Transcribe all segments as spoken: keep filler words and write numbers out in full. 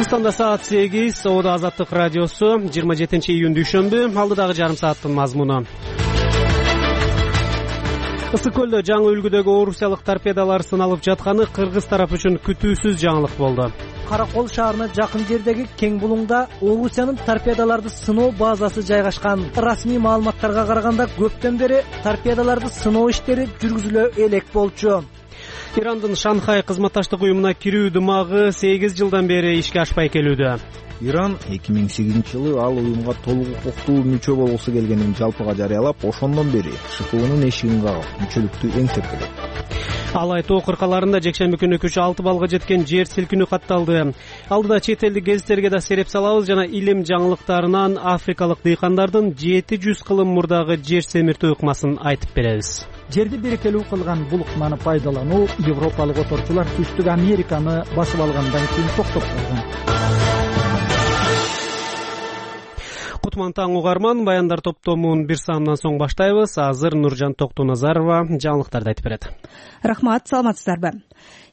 Кыргызстанда саат сегиз. Оодо Азаттык радиосу. жыйырма жетинчи июнь дүйшөмбү. Алдыдагы жарым сааттын мазмуну. Ысык көлдө жаңы үлгүдөгү орусиялык торпедалар сыналып жатканы кыргыз тарап үчүн күтүүсүз жаңылык болду. Каракол шаарына жакын жердеги Кең булуңда Орусиянын торпедаларды сыноо базасы жайгашкан. Расмий маалыматтарга караганда көптөн бери торпедаларды сыноо иштери жүргүзүлө элек болчу. Ирандын Шанхай кызматташтык уюмуна кирүү дымагы сегиз жылдан бери ишке ашпай келүүдө. Иран эки миң сегизинчи жылы ал уюмга толук укуктуу мүчө болгусу келгенин жалпыга жарыялап, ошондон бери ШКУнун эшигин кагып, мүчөлүктү эңсеп келет. Алай тоо кыркаларында жекшемби күнү күчү алты баллга жеткен жер силкинүү катталды. Алдыда чет элдик гезиттерге да сереп салабыз жана илим жаңылыктарынан африкалык дыйкандардын жети жүз кылым мурдагы жер семиртүү ыкмасын айтып беребиз. Жерди берекелүү кылган бул ыкманы пайдалануу Европалык оторчулар Түштүк Американы басып алгандан кийин токтоп калган. Кутман таң угарман, баяндар топтомун бир саамдан соң баштайбыз. Азыр Нуржан Токтоназарова жаңылыктарды айтып берет. Рахмат, саламатсыздарбы?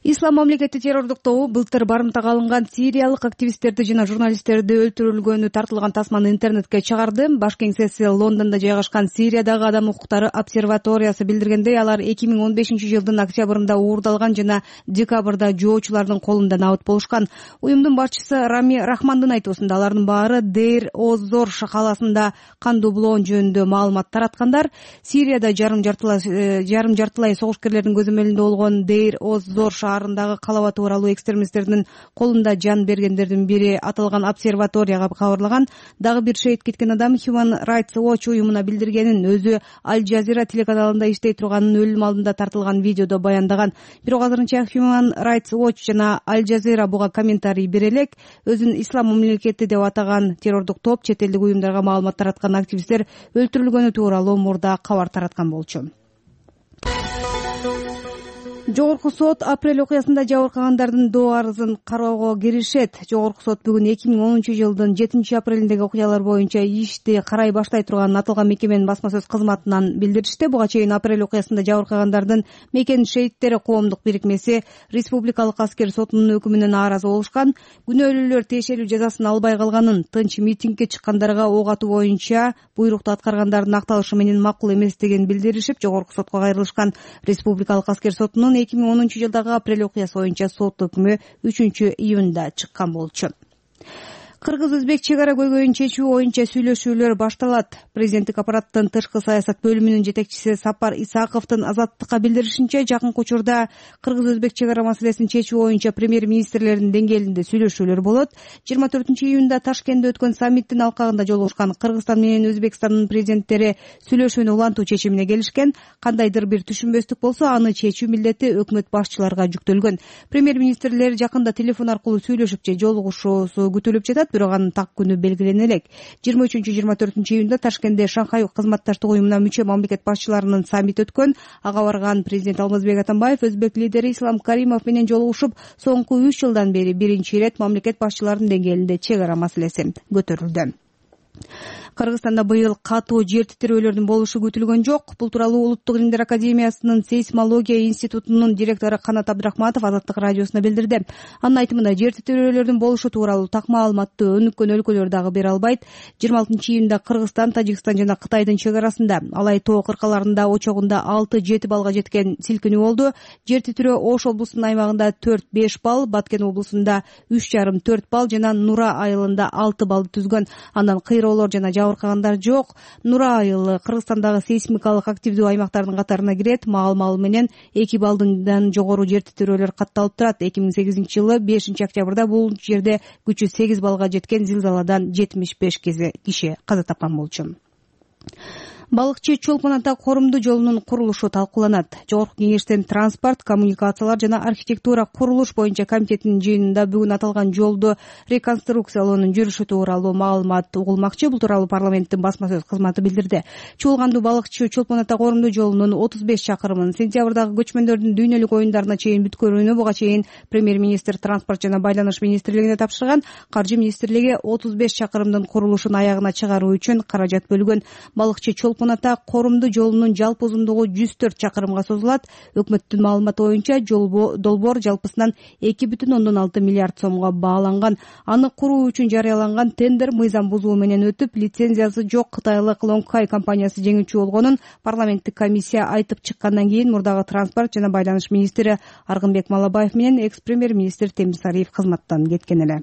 Ислам мамлекети террордук тобу былтыр барымтага алынган сириялык активисттерди жана журналисттерди өлтүрүлгөнү тартылган тасманы интернетке чыгарды. Баш кеңсеси Лондондо жайгашкан Сириядагы адам укуктары обсерваториясы билдиргендей, алар эки миң он бешинчи жылдын октябрында уурдалган жана декабрда жоочулардын колунда набыт болушкан. Уюмдун башчысы Рами Рахмандын айтуусунда алардын баары Дейр Оз-Зор каласында кандуу булоон жөнүндө маалымат тараткандар. Сирияда жарым жартылай жарым жартылай согушкерлердин көзөмөлүндө болгон Дейр Оз-Зор шаарындагы калабаты тууралуу экстремисттердин колунда жан бергендердин бири аталган обсерваторияга кабарлаган. Дагы бир шейит кеткен адам Human Rights Watch уюмуна билдиргенин, өзү Аль Жазира телеканалында иштей турганын өлүм алдында тартылган видеодо баяндаган. Бирок азырынча Human Rights Watch жана Аль Жазира буга комментарий бере элек. Өзүн ислам мамлекети деп атаган террордук топ чет элдик уюмдарга маалымат тараткан активисттер өлтүрүлгөнү тууралуу мурда кабар тараткан болчу. Жогорку сот апрель окуясында жабыркагандардын доо арызын кароого киришет. Жогорку сот бүгүн эки миң онунчу жылдын жетинчи апрелиндеги окуялар боюнча ишти карай баштай турганын аталган мекеменин басма сөз кызматынан билдиришти. Буга чейин апрель окуясында жабыркагандардын Мекен шейиттери коомдук бирикмеси Республикалык аскер сотунун өкүмүнө нааразы болушкан. Күнөөлүүлөр тиешелүү жазасын албай калганын, тынч митингге чыккандарга ок атуу боюнча буйрукту аткаргандардын акталышы менен макул эместигин билдиришип, жогорку сотко кайрылышкан. Республикалык аскер сотунун эки миң онунчу жылдагы апрель окуясы боюнча сот өкмү үчүнчү июнда чыккан болчу. Кыргыз-өзбек чек ара көйгөйүн чечүү боюнча сүйлөшүүлөр башталат. Президенттик аппараттын тышкы саясат бөлүмүнүн жетекчиси Сапар Исаковдун Азаттыкка билдиришинче, жакынкы учурда кыргыз-өзбек чек ара маселесин чечүү боюнча премьер-министрлердин деңгээлинде сүйлөшүүлөр болот. жыйырма төртүнчү июнда Ташкентте өткөн саммиттин алкагында жолугушкан Кыргызстан менен Өзбекстандын президенттери сүйлөшүүнү улантуу чечимине келишкен. Кандайдыр бир түшүнбөстүк болсо, аны чечүү милдети өкмөт башчыларга жүктөлгөн. Премьер-министрлер жакында телефон аркылуу сүйлөшүп же жолугушуусу күтүлүп жатат, бирок анын так күнү белгилене элек. жыйырма үчүнчү жыйырма төртүнчү июнда Ташкентте Шанхай кызматташтык уюмуна мүчө мамлекет башчыларынын саммити өткөн. Ага барган президент Алмазбек Атамбаев өзбек лидери Ислам Каримов менен жолугушуп, соңку үч жылдан бери биринчи ирет мамлекет башчыларынын деңгээлинде чек ара маселеси көтөрүлдү. Кыргызстанда быйыл катуу жер титирөөлөрдүн болушу күтүлгөн жок. Бул тууралуу Улуттук илимдер академиясынын сейсмология институтунун директору Канат Абдрахматов Азаттык радиосуна билдирди. Анын айтымында, жер титирөөлөрдүн болушу тууралуу так маалыматты өнүккөн өлкөлөр дагы бере албайт. жыйырма алтынчы июнда Кыргызстан, Тажикстан жана Кытайдын чек арасында Алай тоо кыркаларында очогунда алты жети баллга жеткен силкинүү болду. Жер титирөө Ош облусунун аймагында төрт беш балл, Баткен облусунда үч жарым төрт балл жана Нура айылында алты баллды түзгөн. Андан кыйроолор жана жабыркагандар жок. Нура айылы Кыргызстандагы сейсмикалык активдүү аймактардын катарына кирет. Маал-маал менен эки баллдан жогору жер титирөөлөр катталып турат. эки миң сегизинчи жылы бешинчи октябрда бул жерде күчү сегиз баллга жеткен зилзаладан жетимиш беш киши каза тапкан болчу. Балыкчы Чолпон ата корумдуу жолунун курулушу талкууланат. Жогорку кеңештин транспорт, коммуникациялар жана архитектура курулуш боюнча комитетинин жыйынында бүгүн аталган жолду реконструкциялоонун жүрүшү тууралуу маалымат угулмакчы. Бул тууралуу парламенттин басма сөз кызматы билдирди. Чуулгандуу Балыкчы Чолпон ата корумдуу жолунун отуз беш чакырымын сентябрдагы көчмөндөрдүн дүйнөлүк оюндарына чейин бүткөрүүнү буга чейин премьер-министр транспорт жана байланыш министрлигине тапшырган. Каржы министрлиги отуз беш чакырымдын курулушун аягына чыгаруу үчүн каражат бөлгөн. Балыкчы толкун ата Корумду жолунун жалпы узундугу жүз төрт чакырымга созулат. Өкмөттүн маалыматы боюнча долбоор жалпысынан эки бүтүн ондон алты миллиард сомго бааланган. Аны куруу үчүн жарыяланган тендер мыйзам бузуу менен өтүп, лицензиясы жок кытайлык Лонгхай компаниясы жеңүүчү болгонун парламенттик комиссия айтып чыккандан кийин мурдагы транспорт жана байланыш министри Аргынбек Малабаев менен экс-премьер-министр Темирсариев кызматтан кеткен эле.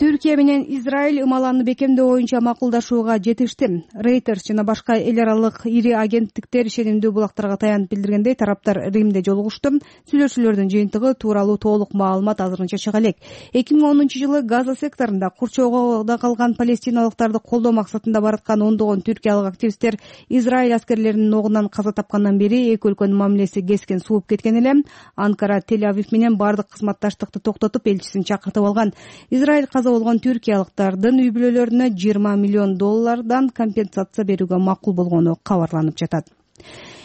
Түркия менен Израиль ымаланы бекемдөө боюнча макулдашууга жетишти. Reuters жана башка эл аралык ири агенттиктер ишенимдүү булактарга таянып билдиргендей, тараптар Римде жолугушту. Сүйлөшүүлөрдүн жыйынтыгы тууралуу толук маалымат азырынча чыга элек. эки миң онунчу жылы Газа секторунда курчоодо калган палестиналыктарды колдоо максатында бараткан ондогон түркиялык активисттер Израиль аскерлеринин огунан каза тапкандан бери эки өлкөнүн мамилеси кескен сууп кеткен эле. Анкара Тель-Авив менен бардык кызматташтыкты токтотуп, элчисин чакыртып алган. Израиль каза болгон түркиялыктардын үй бүлөлөрүнө жыйырма миллион доллардан компенсация берүүгө макул болгону кабарланып жатат.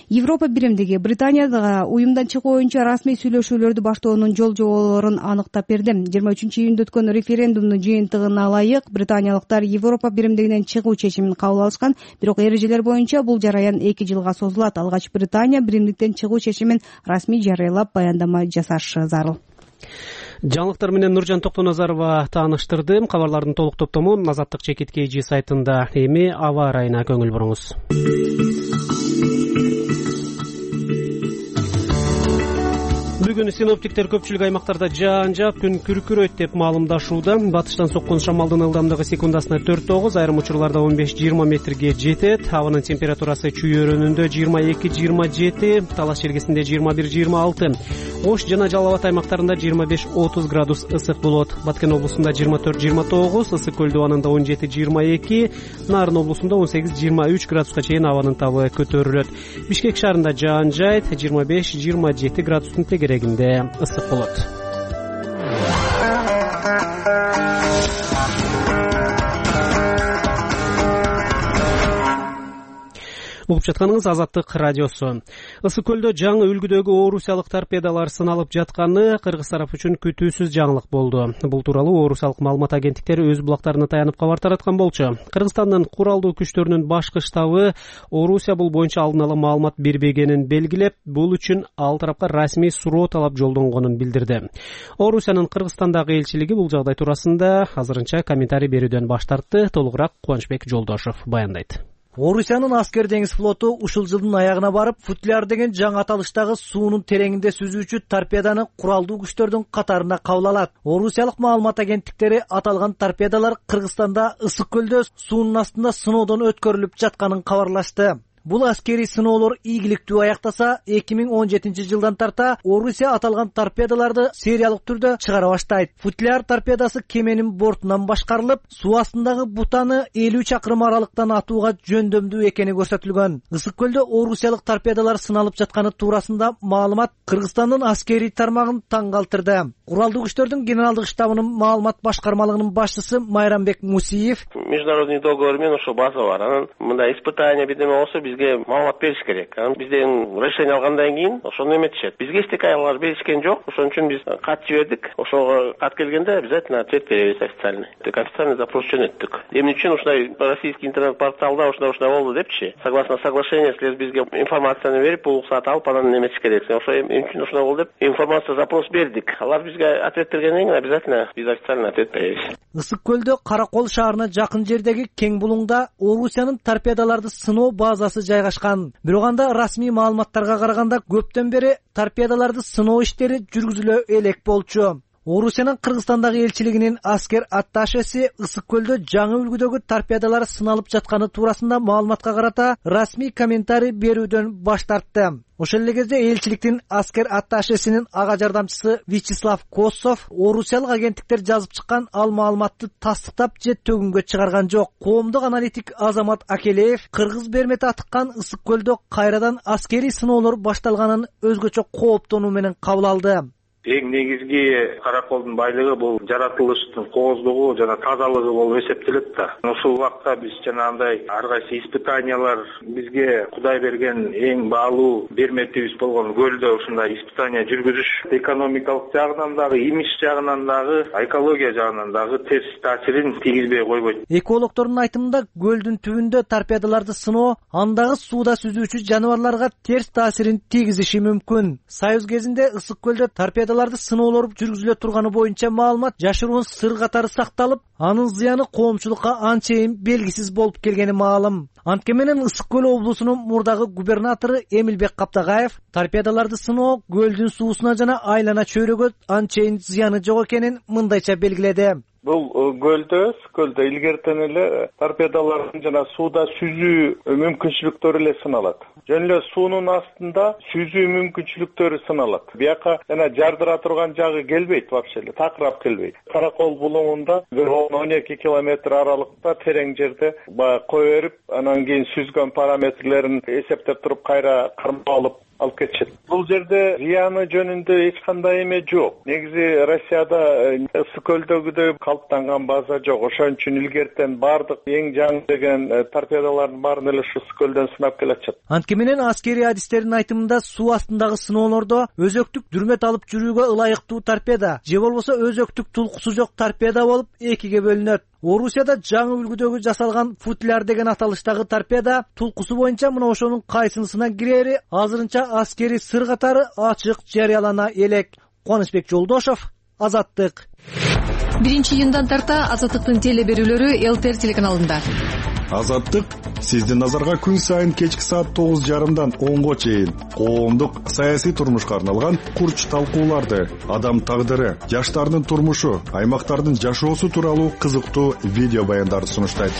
Европа биримдиги Британияга уюмдан чыгуу боюнча расмий сүйлөшүүлөрдү баштоонун жол жоболорун аныктап берди. жыйырма үчүнчү июнда өткөн референдумдун жыйынтыгына ылайык Британиялыктар Европа биримдигинен чыгуу чечимин кабыл алышкан, бирок эрежелер боюнча бул жараян эки жылга созулат. Алгач Британия биримдиктен чыгуу чечимин расмий жарыялап баяндама жасашы зарыл. Жаңылыктар менен Нуржан Токтоназарова тааныштырды. Кабарлардын толук топтому Азаттык чекит kg сайтында. Эми аба ырайына көңүл буруңуз. Бүгүн синоптиктер көпчүлүк аймактарда жаан жаап, күн күркүрөйт деп маалымдашууда. Батыштан соккон шамалдын ылдамдыгы секундасына төрт тогуз, айрым учурларда он беш жыйырма метрге жетет. Абанын температурасы чүй-өрөнүндө жыйырма эки жыйырма жети, Талаш Шергесинде жыйырма бир жыйырма алты, Ош жана Жалал Абад аймактарында жыйырма беш отуз градус ысык болот. Баткен облусунда жыйырма төрт жыйырма тогуз, Ысык көл дубанында он жети жыйырма эки, Нарын облусунда он сегиз жыйырма үч градуска чейин абанын табы көтөрүлөт. Бишкек шаарында жаан жайт, жыйырма беш жыйырма жети градустун тегерегинде ысык болот. Угуп жатканыңыз Азаттык радиосу. Ысык көлдө жаңы үлгүдөгү орусиялык торпедалар сыналып жатканы кыргыз тарап үчүн күтүүсүз жаңылык болду. Бул тууралуу орусиялык маалымат агенттиктери өз булактарына таянып кабар тараткан болчу. Кыргызстандын куралдуу күчтөрүнүн башкы штабы Орусия бул боюнча алдын ала маалымат бербегенин белгилеп, бул үчүн ал тарапка расмий суроо талап жолдонгонун билдирди. Орусиянын Кыргызстандагы элчилиги бул жагдай туурасында азырынча комментарий берүүдөн баш тартты. Толугураак Кубанычбек Жолдошов баяндайт. Орусиянын аскер деңиз флоту ушул жылдын аягына барып, футляр деген жаңы аталыштагы суунун тереңинде сүзүүчү торпеданы куралдуу күчтөрдүн катарына кабыл алат. Орусиялык маалымат агенттиктери аталган торпедалар Кыргызстанда Ысык көлдө суунун астында сыноодон өткөрүлүп жатканын кабарлашты. Бул аскерий сыноолор ийгиликтүү аяктаса, эки миң он жетинчи жылдан тарта Орусия аталган торпедаларды сериялык түрдө чыгара баштайт. Футляр торпедасы кеменин бортунан башкарылып, суу астындагы бутаны элүү чакырым аралыктан атууга жөндөмдүү экени көрсөтүлгөн. Ысык көлдө орусиялык торпедалар сыналып жатканы туурасында маалымат Кыргызстандын аскерий тармагын таң калтырды. Куралдуу күчтөрдүн генералдык штабынын маалымат башкармалыгынын башчысы Майрамбек Мусиев: Международный договор менен ошо база бар. Анан мындай испытание бирдеме болсо бизге маалымат бериш керек. Анан бизден решение алгандан кийин ошону эметишет. Бизге эчтеке аялар беришкен жок. Ошон үчүн биз кат жибердик. Ошого кат келгенде обязательно ответ беребиз официальный. Тек официальный запрос жөнөттүк. Эмне үчүн ушундай российский интернет-порталда ушундай ушундай болду депчи. Согласно соглашению, силер бизге информацияны берип, уруксат алып, анан эметиш керек. Ошо эмне үчүн ушундай болду деп информация запрос бердик. Алар бизге ответ бергенден кийин обязательно биз официальный ответ беребиз. Ысык көлдө Каракол шаарына жакын жердеги кең булуңда Орусиянын торпедаларды сыноо базасы жайгашкан. Бирок анда расмий маалыматтарга караганда көптөн бери торпедаларды сыноо иштери жүргүзүлө элек болчу. Орусиянын Кыргызстандагы элчилигинин аскер атташеси Ысык көлдө жаңы үлгүдөгү торпедалар сыналып жатканы туурасында маалыматка карата расмий комментарий берүүдөн баш тартты. Ошол эле кезде элчиликтин аскер атташесинин ага жардамчысы Вячеслав Косов орусиялык агенттиктер жазып чыккан ал маалыматты тастыктап же төгүнгө чыгарган жок. Коомдук аналитик Азамат Акелеев кыргыз бермети атыккан Ысык көлдө кайрадан аскерий сыноолор башталганын өзгөчө кооптонуу менен кабыл алды. Эң негизги караколдун байлыгы бул жаратылыштын кооздугу жана тазалыгы болуп эсептелет да. Ушул убакта биз жанагындай ар кайсы испытаниялар бизге Кудай берген эң баалуу берметибиз болгон көлдө ушундай испытания жүргүзүш экономикалык жагынан дагы, имидж жагынан дагы, экология жагынан дагы терс таасирин тийгизбей койбойт. Экологдордун айтымында көлдүн түбүндө торпедаларды сыноо андагы сууда сүзүүчү жаныбарларга терс таасирин тийгизиши мүмкүн. Союз кезинде ысык көлдө торпедаларды сыноолор жүргүзүлө турганы боюнча маалымат жашыруун сыр катары сакталып, анын зыяны коомчулукка анчейин белгисиз болуп келгени маалым. Анткени менен Ысык көл облусунун мурдагы губернатору Эмилбек Каптагаев торпедаларды сыноо көлдүн суусуна жана айлана чөйрөгө анчейин зыяны жок экенин мындайча белгиледи. Бул көлдө, көлдө илгертен эле торпедалардын жана сууда сүзүү мүмкүнчүлүктөрү эле сыналат. Жөн эле суунун астында сүзүү мүмкүнчүлүктөрү сыналат. Бияка жана жардыра турган жагы келбейт вообще эле, такырап келбейт. Каракол булуңунда бир он эки километр аралыкта терең жерде баягы кое берип, анан кийин сүзгөн параметрлерин эсептеп туруп кайра кармап алып алып кетишет. Бул жерде зыяны жөнүндө эч кандай эме жок. Негизи Россияда ысык көлдөгүдөй калыптанган база жок. Ошон үчүн илгертен бардык эң жаңы деген торпедалардын баарын эле ысык көлдөн сынап келатышат. Анткени менен аскери адистердин айтымында суу астындагы сыноолордо өзөктүк дүрмөт алып жүрүүгө ылайыктуу торпеда же болбосо өзөктүк тулкусу жок торпеда болуп экиге бөлүнөт. Орусияда жаңы үлгүдөгү жасалган футляр деген аталыштагы торпеда тулкусу боюнча мына ошонун кайсынысына кирери азырынча аскери сыр катары ачык жарыялана элек. Кубанычбек Жолдошов, Азаттык. биринчи июндан тарта Азаттыктын теле берүүлөрү Эл Т Р телеканалында. Азаттык сиздин назарга күн сайын кечки саат тогуз жарымдан онго чейин коомдук саясий турмушка арналган курч талкууларды, адам тагдыры, жаштардын турмушу, аймактардын жашоосу тууралуу кызыктуу видео баяндарды сунуштайт.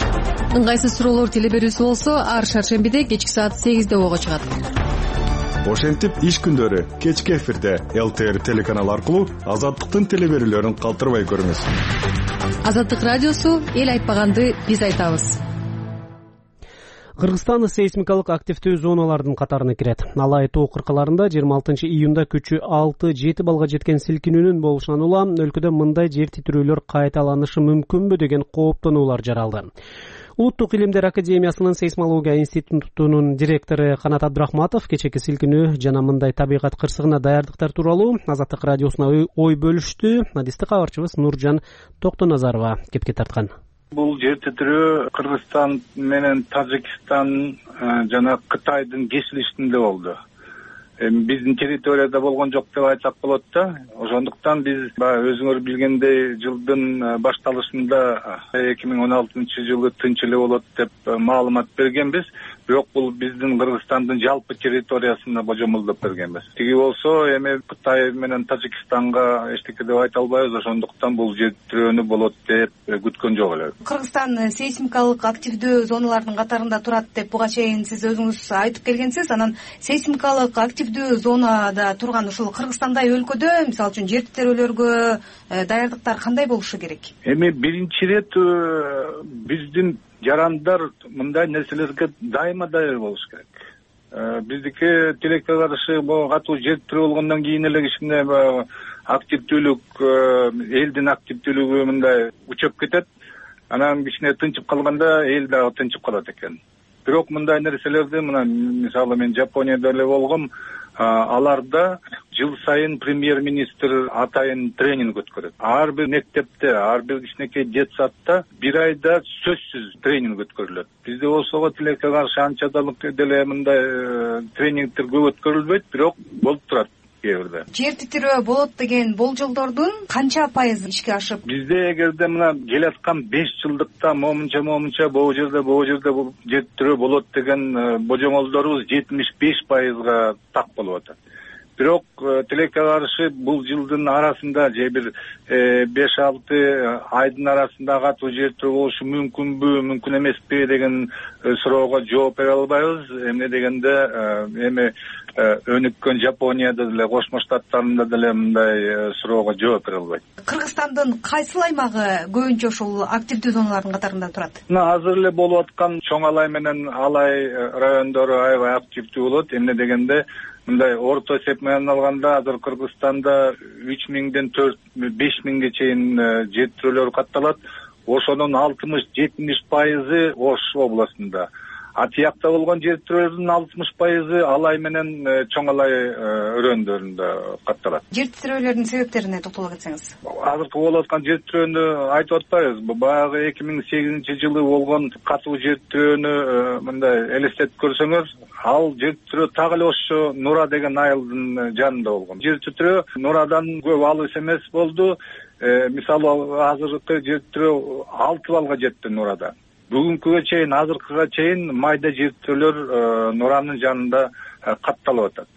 Ыңгайсыз суроолор теле берүүсү болсо ар шаршембиде кечки саат сегизде ого чыгат. Ошентип иш күндөрү кечки эфирде Эл Т Р телеканалы аркылуу Азаттыктын теле берүүлөрүн калтырбай көрүңүз. Азаттык радиосу эл айтпаганды биз айтабыз. Кыргызстан сейсмикалык активдүү зоналардын катарына кирет. Алай тоо кыркаларында жыйырма алтынчы июнда күчү алты жети балга жеткен силкинүүнүн болушунан улам өлкөдө мындай жер титирөөлөр кайталанышы мүмкүнбү деген кооптонуулар жаралды. Улуттук илимдер академиясынын сейсмология институтунун директору Канат Абдрахматов кечеки силкинүү жана мындай табигат кырсыгына даярдыктар тууралуу Азаттык радиосуна ой бөлүштү. Адисти кабарчыбыз Нуржан Токтоназарова кепке тарткан. Бул жер титирөө Кыргызстан менен Тажикстан жана Кытайдын кесилишинде болду. Биздин территорияда болгон жок деп айтсак болот да. Ошондуктан биз өзүңөр билгендей жылдын башталышында эки миң он алтынчы жылы тынч эле болот деп маалымат бергенбиз. Бирок бул биздин Кыргызстандын жалпы территориясына божомолдоп бергенбиз. Тиги болсо эми Кытай менен Тажикстанга эчтеке деп айта албайбыз. Ошондуктан бул жер титирөөнү болот деп күткөн жок эле. Кыргызстан сейсмикалык активдүү зоналардын катарында турат деп буга чейин сиз өзүңүз айтып келгенсиз. Анан сейсмикалык активдүү зонада турган ушул Кыргызстандай өлкөдө мисалы үчүн жер титирөөлөргө даярдыктар кандай болушу керек? Эми биринчи ирет биздин жарандар мындай нерселерге дайыма даяр болуш керек. Биздики тилекке каршы катуу жер титирөө болгондон кийин эле кичине активдүүлүк, элдин активдүүлүгү мындай учуп кетет. Анан кичине тынчып калганда эл дагы тынчып калат экен. Бирок мындай нерселерди мына мисалы мен Жапонияда эле болгом, аларда жыл сайын премьер-министр атайын тренинг өткөрөт. Ар бир мектепте, ар бир кичинекей детсадта бир айда сөзсүз тренинг өткөрүлөт. Бизде болсо тилекке каршы анча деле мындай тренингдер көп өткөрүлбөйт, бирок болуп турат. Жер титирөө болот деген болжолдордун канча пайыз ишке ашып? Бизде эгерде мына келаткан беш жылдыкта момунча момунча бул жерде бул жерде жер титирөө болот деген божомолдорубуз жетимиш беш пайызга так болуп атат. Бирок тилекке каршы бул жылдын арасында же бир беш алты айдын арасында катуу жер титирөө болушу мүмкүнбү, мүмкүн эмеспи деген суроого жооп бере албайбыз. Эмне дегенде эми өнүккөн Жапонияда деле, Кошмо Штаттарында деле мындай суроого жооп бере албайт. Кыргызстандын кайсыл аймагы көбүнчө ушул активдүү зоналардын катарында турат? Мына азыр эле болуп аткан Чоң Алай менен Алай райондору аябай активдүү болот. Эмне дегенде мындай орто эсеп менен алганда азыр Кыргызстанда үч миңден төрт беш миңге чейин жетиштирүүлөр катталат. Ошонун алтымыш жетимиш пайызы Ош областында. А тиякта болгон жетиштирүүлөрдүн алтымыш пайызы Алай менен Чоң Алай өрөөндөрүндө катталат. Жетиштирүүлөрдүн себептерине токтоло кетсеңиз. Азыркы болуп аткан жетиштирүүнү айтып атпайбыз. Баягы эки миң сегизинчи жылы болгон катуу жетиштирүүнү мындай элестетип көрсөңөр, ал жетиштирүү так эле ошо Нура деген айылдын жанында болгон. Жетиштирүү Нурадан көп алыс эмес болду. Мисалы азыркы жетиштирүү алты балга жетти Нурада. Бүгүнкүгө чейин, азыркыга чейин майда жетиштирүүлөр Нуранын жанында катталып атат.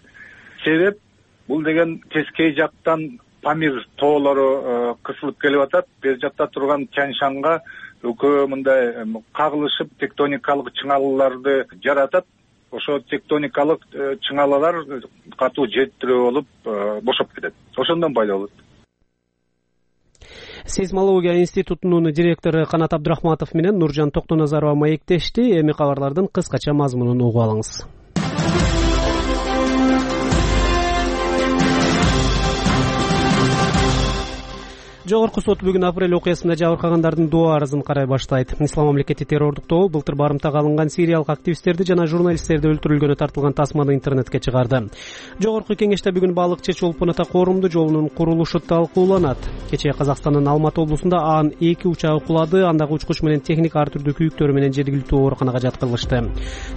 Себеп бул деген тескей жактан Памир тоолору кысылып келип атат. Бер жакта турган Тянь-Шанга экөө мындай кагылышып тектоникалык чыңалууларды жаратат. Ошо тектоникалык чыңалуулар катуу жетиштирүү болуп бошоп кетет. Ошондон пайда болот. Сейсмология институтунун директору Канат Абдрахматов менен Нуржан Токтоназарова маектешти. Эми кабарлардын кыскача мазмунун угуп алыңыз. Жогорку сот бүгүн апрель окуясында жабыркагандардын доо арызын карай баштайт. Ислам мамлекети террордук тобу былтыр барымтага алынган сириялык активисттерди жана журналисттерди өлтүрүлгөнү тартылган тасманы интернетке чыгарды. Жогорку кеңеште бүгүн балыкчы Чолпон Ата коорумдуу жолунун курулушу талкууланат. Кечээ Казакстандын Алматы облусунда Аан эки учагы кулады. Андагы учкуч менен техник ар түрдүү күйүктөрү менен жергиликтүү ооруканага жаткырылышты.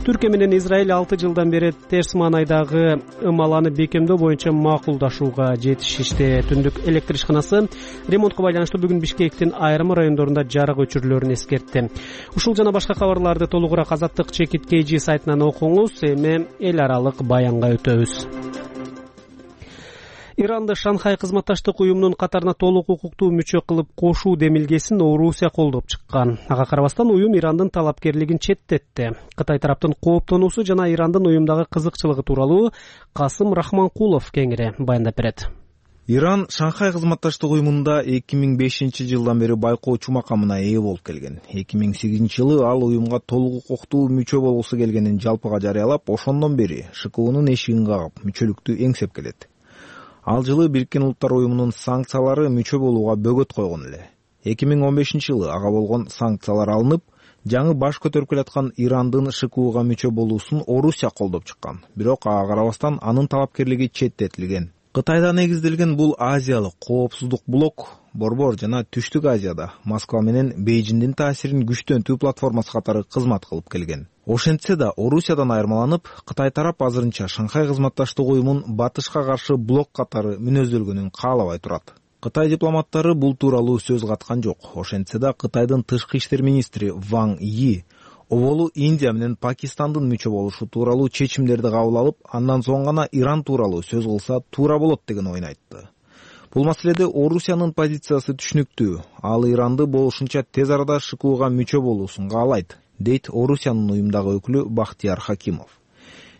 Түркия менен Израиль алты жылдан бери терс маанайдагы ымаланы бекемдөө боюнча макулдашууга жетишишти. Түндүк электр ишканасы ремонтко байланыштуу бүгүн Бишкектин айрым райондорунда жарык өчүрүлөрүн эскертти. Ушул жана башка кабарларды толугураак Азаттык Чекит кей жи сайтынан окуңуз. Эми эл аралык баянга өтөбүз. Иранды Шанхай кызматташтык уюмунун катарына толук укуктуу мүчө кылып кошуу демилгесин Орусия колдоп чыккан. Ага карабастан уюм Ирандын талапкерлигин четтетти. Кытай тараптын кооптонуусу жана Ирандын уюмдагы кызыкчылыгы тууралуу Касым Рахманкулов кеңири баяндап берет. Иран Шанхай кызматташтык уюмунда эки миң бешинчи жылдан бери байкоочу макамына ээ болуп келген. эки миң сегизинчи жылы ал уюмга толук укуктуу мүчө болгусу келгенин жалпыга жарыялап, ошондон бери ШКУнун эшигин кагып, мүчөлүктү эңсеп келет. Ал жылы Бириккен Улуттар уюмунун санкциялары мүчө болууга бөгөт койгон эле. эки миң он бешинчи жылы ага болгон санкциялар алынып, жаңы баш көтөрүп келаткан Ирандын ШКУга мүчө болуусун Орусия колдоп чыккан. Бирок ага карабастан анын талапкерлиги четтетилген. Кытайда негизделген бул азиялык коопсуздук блок Борбор жана Түштүк Азияда Москва менен Бейжиңдин таасирин күчтөнтүү платформасы катары кызмат кылып келген. Ошентсе да Орусиядан айырмаланып, Кытай тарап азырынча Шанхай кызматташтык уюмун батышка каршы блок катары мүнөздөлгөнүн каалабай турат. Кытай дипломаттары бул тууралуу сөз каткан жок. Ошентсе да Кытайдын тышкы иштер министри Ван Йи оболу Индия менен Пакистандын мүчө болушу тууралуу чечимдерди кабыл алып, андан соң гана Иран тууралуу сөз кылса туура болот деген ойун айтты. Бул маселеде Орусиянын позициясы түшүнүктүү. Ал Иранды болушунча тез арада ШКУга мүчө болуусун каалайт, дейт Орусиянын уюмдагы өкүлү Бахтияр Хакимов.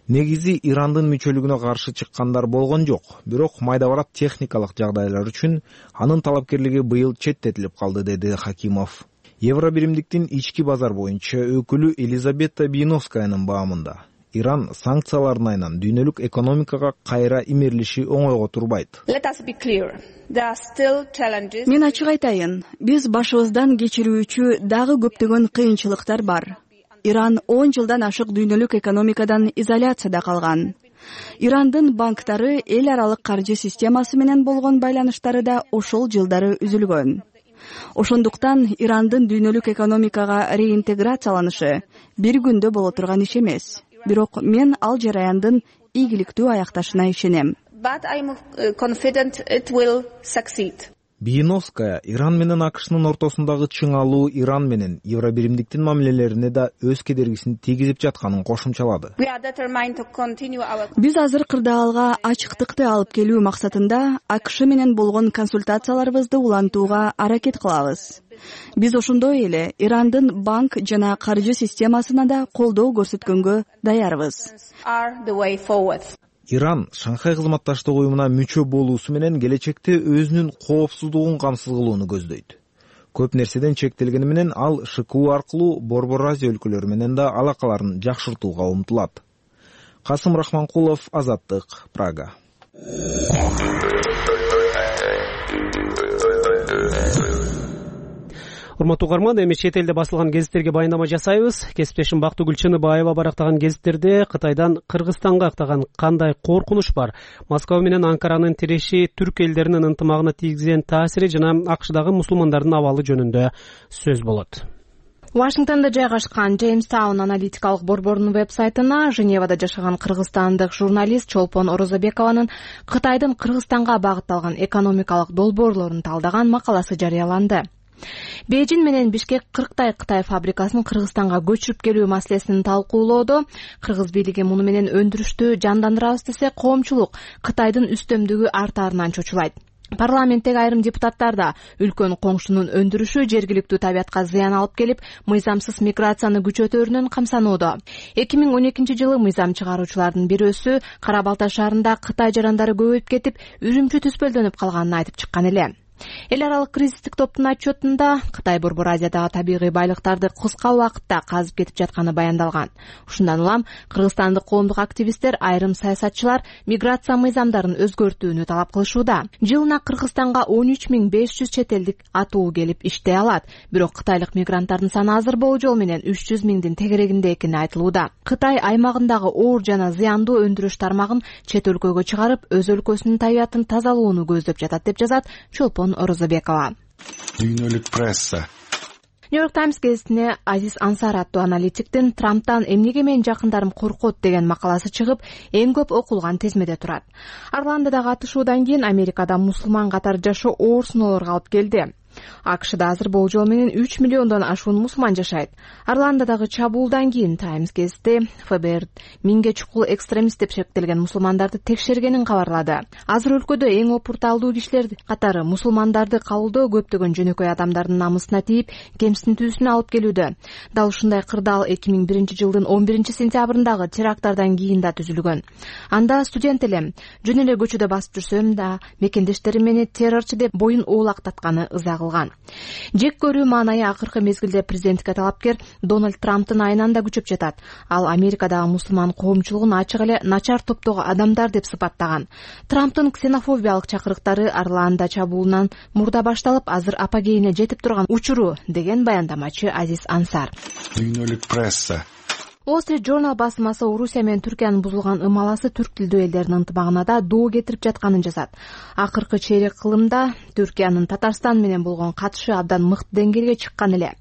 Негизи Ирандын мүчөлүгүнө каршы чыккандар болгон жок, бирок майда барат техникалык жагдайлар үчүн анын талапкерлиги быйыл четтетилип калды, деди Хакимов. Евробиримдиктин ички базар боюнча өкүлү Елизавета Биновскаянын баамында Иран санкциялардын айынан дүйнөлүк экономикага кайра имерлиши оңойго турбайт. Мен ачык айтайын, биз башыбыздан кечирүүчү дагы көптөгөн кыйынчылыктар бар. Иран он жылдан ашык дүйнөлүк экономикадан изоляцияда калган. Ирандын банктары эл аралык каржы системасы менен болгон байланыштары да ошол жылдары үзүлгөн. Ошондуктан Ирандын дүйнөлүк экономикага реинтеграцияланышы бир күндө боло турган иш эмес. Бирок мен ал жараяндын ийгиликтүү аякташына ишенем. Биновская Иран менен АКШнын ортосундагы чыңалуу Иран менен Евробиримдиктин мамилелерине да өз кедергисин тийгизип жатканын кошумчалады. Биз азыр кырдаалга ачыктыкты алып келүү максатында АКШ менен болгон консультацияларыбызды улантууга аракет кылабыз. Биз ошондой эле Ирандын банк жана каржы системасына да колдоо көрсөткөнгө даярбыз. Иран Шанхай кызматташтык уюмуна мүчө болуусу менен келечекте өзүнүн коопсуздугун камсыз кылууну көздөйт. Көп нерседен чектелгени менен ал ШКУ аркылуу Борбор Азия өлкөлөрү менен да алакаларын жакшыртууга умтулат. Касым Рахманкулов, Азаттык, Прага. Урматтуу угарман, эми чет элде басылган гезиттерге баяндама жасайбыз. Кесиптешим Бактыгүл Чыныбаева барактаган гезиттерде Кытайдан Кыргызстанга актаган кандай коркунуч бар, Москва менен Анкаранын тиреши түрк элдеринин ынтымагына тийгизген таасири жана АКШдагы мусулмандардын абалы жөнүндө сөз болот. Вашингтондо жайгашкан Джеймстаун аналитикалык борборунун веб-сайтына Женевада жашаган кыргызстандык журналист Чолпон Орозобекованын Кытайдын Кыргызстанга багытталган экономикалык долбоорлорун талдаган макаласы жарыяланды. Бейжин менен Бишкек кырктай Кытай фабрикасын Кыргызстанга көчүрүп келүү маселесин талкуулоодо Кыргыз бийлиги муну менен өндүрүштү жандандырабыз десе, коомчулук Кытайдын үстөмдүгү артаарынан чочулайт. Парламенттеги айрым депутаттар да үлкөн коңшунун өндүрүшү жергиликтүү табиятка зыян алып келип, мыйзамсыз миграцияны күчөтөөрүнөн камсанууда. эки миң он экинчи жылы мыйзам чыгаруучулардын бирөөсү Кара Балта шаарында Кытай жарандары көбөйүп кетип, үрүмчү түспөлдөнүп калганын айтып чыккан эле. Эл аралык кризистик топтун отчетунда Кытай Борбор Азиядагы табигый байлыктарды кыска убакытта казып кетип жатканы баяндалган. Ушундан улам кыргызстандык коомдук активисттер, айрым саясатчылар миграция мыйзамдарын өзгөртүүнү талап кылышууда. Жылына Кыргызстанга он үч миң беш жүз чет элдик атуу келип иштей алат. Бирок кытайлык мигранттардын саны азыр болжол менен үч жүз миңдин тегерегинде экени айтылууда. Кытай аймагындагы оор жана зыяндуу өндүрүш тармагын чет өлкөгө чыгарып, өз өлкөсүнүн табиятын тазалоону көздөп жатат деп жазат Чолпон Орозобекова. Дүйнөлүк пресса. Нью-Йорк Таймс гезитине Азиз Ансар аттуу аналитиктин Трамптан эмнеге менин жакындарым коркот деген макаласы чыгып, эң көп окулган тизмеде турат. Орландодагы атышуудан кийин Америкада мусулман катары жашоо оор сыноолорго алып келди. АКШда азыр болжол менен үч миллиондон ашуун мусулман жашайт. Орландодагы чабуулдан кийин Таймс гезити ФБР миңге чукул экстремист деп шектелген мусулмандарды текшергенин кабарлады. Азыр өлкөдө эң опурталдуу кишилер катары мусулмандарды кабылдоо көптөгөн жөнөкөй адамдардын намысына тийип, кемсинтүүсүнө алып келүүдө. Дал ушундай кырдаал эки миң биринчи жылдын он биринчи сентябрындагы теракттардан кийин да түзүлгөн. Анда студент элем жөн эле көчөдө басып жүрсөм да мекендештерим мени террорчу деп боюн уулактатканы ыза кылган. Жек көрүү маанайы акыркы мезгилде президенттикке талапкер Дональд Трамптын айынан да күчөп жатат. Ал Америкадагы мусулман коомчулугун ачык эле начар топтогу адамдар деп сыпаттаган. Трамптын ксенофобиялык чакырыктары Орландо чабуулунан мурда башталып, азыр апогейине жетип турган учуру, деген баяндамачы Азиз Ансар. Дүйнөлүк пресса. Wall Street Journal басмасы Орусия менен Түркиянын бузулган ымаласы түрк тилдүү элдердин ынтымагына да доо кетирип жатканын жазат. Акыркы чейрек кылымда Түркиянын Татарстан менен болгон катышы абдан мыкты деңгээлге чыккан эле.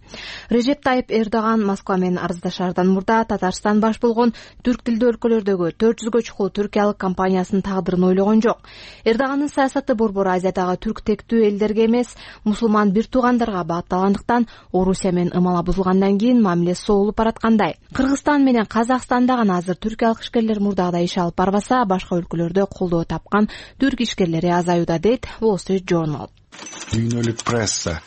Режеп Тайып Эрдоган Москва менен арыздашаардан мурда Татарстан баш болгон түрк тилдүү өлкөлөрдөгү төрт жүзгө чукул түркиялык компаниясынын тагдырын ойлогон жок. Эрдоганын саясаты Борбор Азиядагы түрк тектүү элдерге эмес, мусулман бир туугандарга багытталгандыктан Орусия менен ымала бузулгандан кийин мамиле соолуп бараткандай. Кыргызстан менен Казакстанда гана азыр түркиялык ишкерлер мурдагыдай иш алып барбаса, башка өлкөлөрдө колдоо тапкан түрк ишкерлери азаюуда, дейт Wall Street Journal. Дүйнөлүк пресса.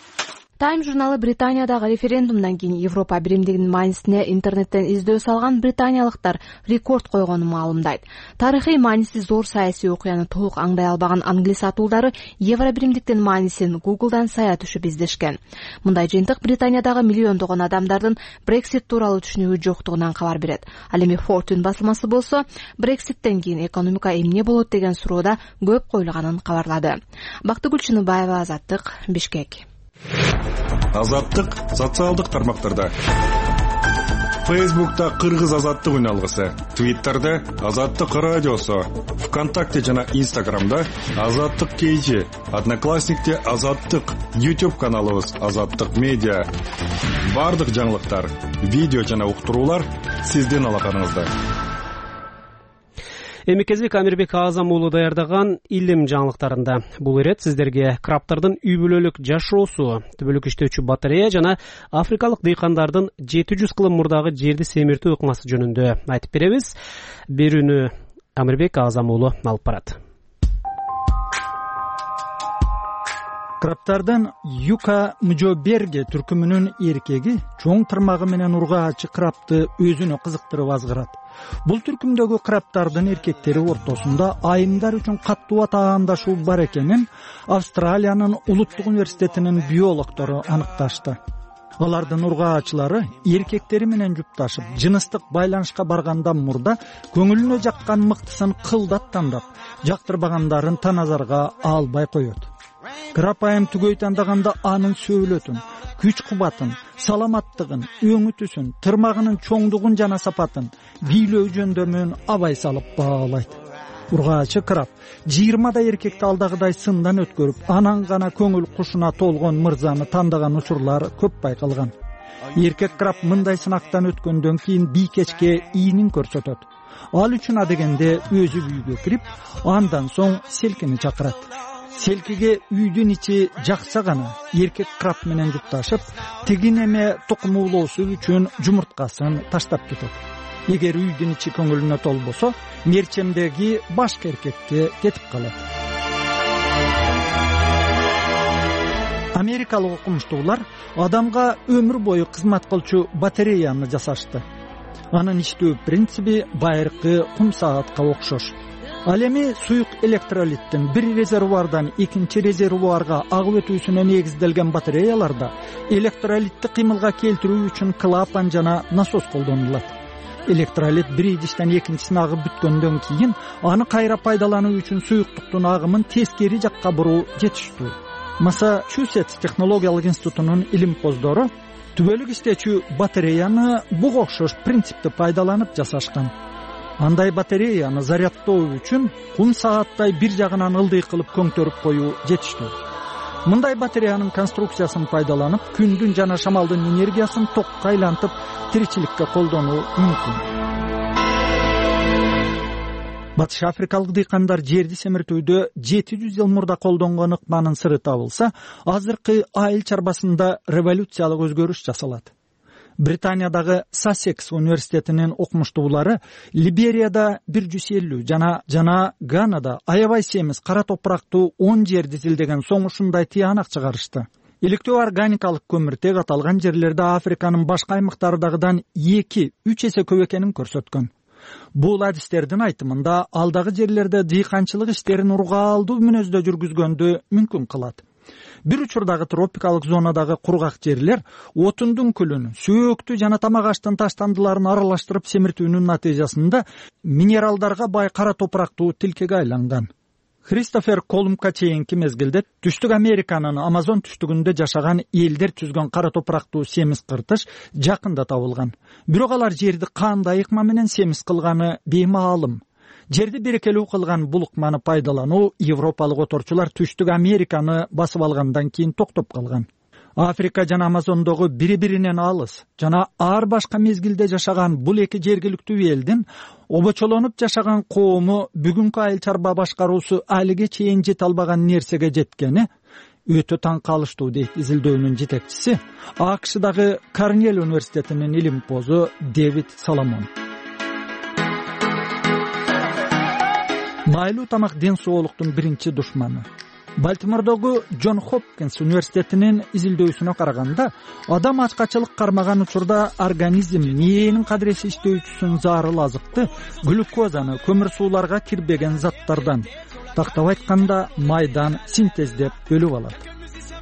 Time журналы Британиядагы референдумдан кийин Европа биримдигинин маанисине интернеттен издөө салган британиялыктар рекорд койгонун маалымдайт. Тарыхый мааниси зор саясий окуяны толук аңдай албаган англис атуулдары Евро биримдиктин маанисин Google'дан сая түшүп издешкен. Мындай жыйынтык Британиядагы миллиондогон адамдардын Brexit тууралуу түшүнүгү жоктугунан кабар берет. Ал эми Fortune басылмасы болсо, Brexit'тен кийин экономика эмне болот деген суроода көп коюлганын кабарлады. Бактыгүл Чыныбаева, Азаттык, Бишкек. Азаттык социалдык тармактарда. Фейсбукта Кыргыз азаттык үналгысы, Твиттерде Азаттык радиосу, ВКонтакте жана Инстаграмда Азаттык кейжи, Одноклассникте Азаттык, YouTube каналыбыз Азаттык медиа. Бардык жаңылыктар, видео жана уктуруулар сиздин алаканыңызда. Эми кезек Амирбек Азам уулу даярдаган илим жаңылыктарында. Бул ирет сиздерге крабтардын үй бүлөлүк жашоосу, түбөлүк иштөөчү батарея жана африкалык дыйкандардын жети жүз кылым мурдагы жерди семиртүү ыкмасы жөнүндө айтып беребиз. Берүүнү Амирбек Азам уулу алып барат. Крабтардын Юка Мжоберге түркүмүнүн эркеги чоң тырмагы менен ургаачы крабты өзүнө кызыктырып азгырат. Бул түркүмдөгү крабтардын эркектери ортосунда айымдар үчүн каттуу атаандашуу бар экенин Австралиянын улуттук университетинин биологдору аныкташты. алардын ургаачылары эркектери менен жупташып жыныстык байланышка баргандан мурда көңүлүнө жаккан мыктысын кылдат тандап, жактырбагандарын таназарга албай коет. Кырапайым түгөй тандаганда анын сөөлөтүн, күч кубатын, саламаттыгын, өңү түсүн, тырмагынын чоңдугун жана сапатын, бийлөө жөндөмүн абай салып баалайт. Ургаачы краб жыйырмадай эркекти алдагыдай сындан өткөрүп, анан гана көңүл кушуна толгон мырзаны тандаган учурлар көп байкалган. Эркек краб мындай сынактан өткөндөн кийин бийкечке ийинин көрсөтөт. Ал үчүн адегенде өзү үйгө кирип, андан соң селкини чакырат. Селкиге үйдүн ичи жакса гана эркек краб менен жупташып, тиги неме тукум уулоосу үчүн жумурткасын таштап кетет. Эгер үйдүн ичи көңүлүнө толбосо, мерчемдеги башка эркекке кетип калат. Америкалык окумуштуулар адамга өмүр бою кызмат кылчу батареяны жасашты. Анын иштөө принциби байыркы кум саатка окшош. Ал эми суюк электролиттин бир резервуардан экинчи резервуарга агып өтүүсүнө негизделген батареяларда электролитти кыймылга келтирүү үчүн клапан жана насос колдонулат. Электролит бир идиштен экинчисине агып бүткөндөн кийин аны кайра пайдалануу үчүн суюктуктун агымын тескери жакка буруу жетиштүү. Массачусетс технологиялык институтунун илимпоздору түбөлүк иштечү батареяны буга окшош принципти пайдаланып жасашкан. Андай батареяны зарядтоо үчүн кум сааттай бир жагынан ылдый кылып көңтөрүп коюу жетиштүү. Мындай батареянын конструкциясын пайдаланып, күндүн жана шамалдын энергиясын токко айлантып, тиричиликке колдонуу мүмкүн. Батыш африкалык дыйкандар жерди семиртүүдө жети жүз жыл мурда колдонгон ыкманын сыры табылса, азыркы айыл чарбасында революциялык өзгөрүш жасалат. Британиядагы Сассекс университетинин окумуштуулары Либерияда бир жүз элүү жана жана Ганада аябай семиз кара топурактуу он жерди изилдеген соң ушундай тыянак чыгарышты. Иликтөө органикалык көмүртек аталган жерлерде Африканын башка аймактардагыдан эки үч эсе көп экенин көрсөткөн. Бул адистердин айтымында алдагы жерлерде дыйканчылык иштерин ургаалдуу мүнөздө жүргүзгөндү мүмкүн кылат. Бир учурдагы тропикалык зонадагы кургак жерлер отундун күлүн, сөөктү жана тамак аштын таштандыларын аралаштырып семиртүүнүн натыйжасында минералдарга бай кара топурактуу тилкеге айланган. Кристофер Колумбка чейинки мезгилде Түштүк Американын Амазон түштүгүндө жашаган элдер түзгөн кара топурактуу семиз кыртыш жакында табылган. Бирок алар жерди кандай ыкма менен семиз кылганы беймаалым. Жерди берекелүү кылган бул ыкманы пайдалануу европалык оторчулар Түштүк Американы басып алгандан кийин токтоп калган. Африка жана Амазондогу бири-биринен алыс жана ар башка мезгилде жашаган бул эки жергиликтүү элдин обочолонуп жашаган коому бүгүнкү айыл чарба башкаруусу алиге чейин жете албаган нерсеге жеткени өтө таң калыштуу дейт изилдөөнүн жетекчиси, АКШдагы Корнелл университетинин илимпозу Дэвид Соломон. Майлуу тамак ден соолуктун биринчи душманы. Балтимордогу Джон Хопкинс университетинин изилдөөсүнө караганда, адам ачкачылык кармаган учурда организм мээнин кадыреси иштөөчүсүн зарыл азыкты глюкозаны көмүр сууларга кирбеген заттардан, тактап айтканда майдан синтездеп бөлүп алат.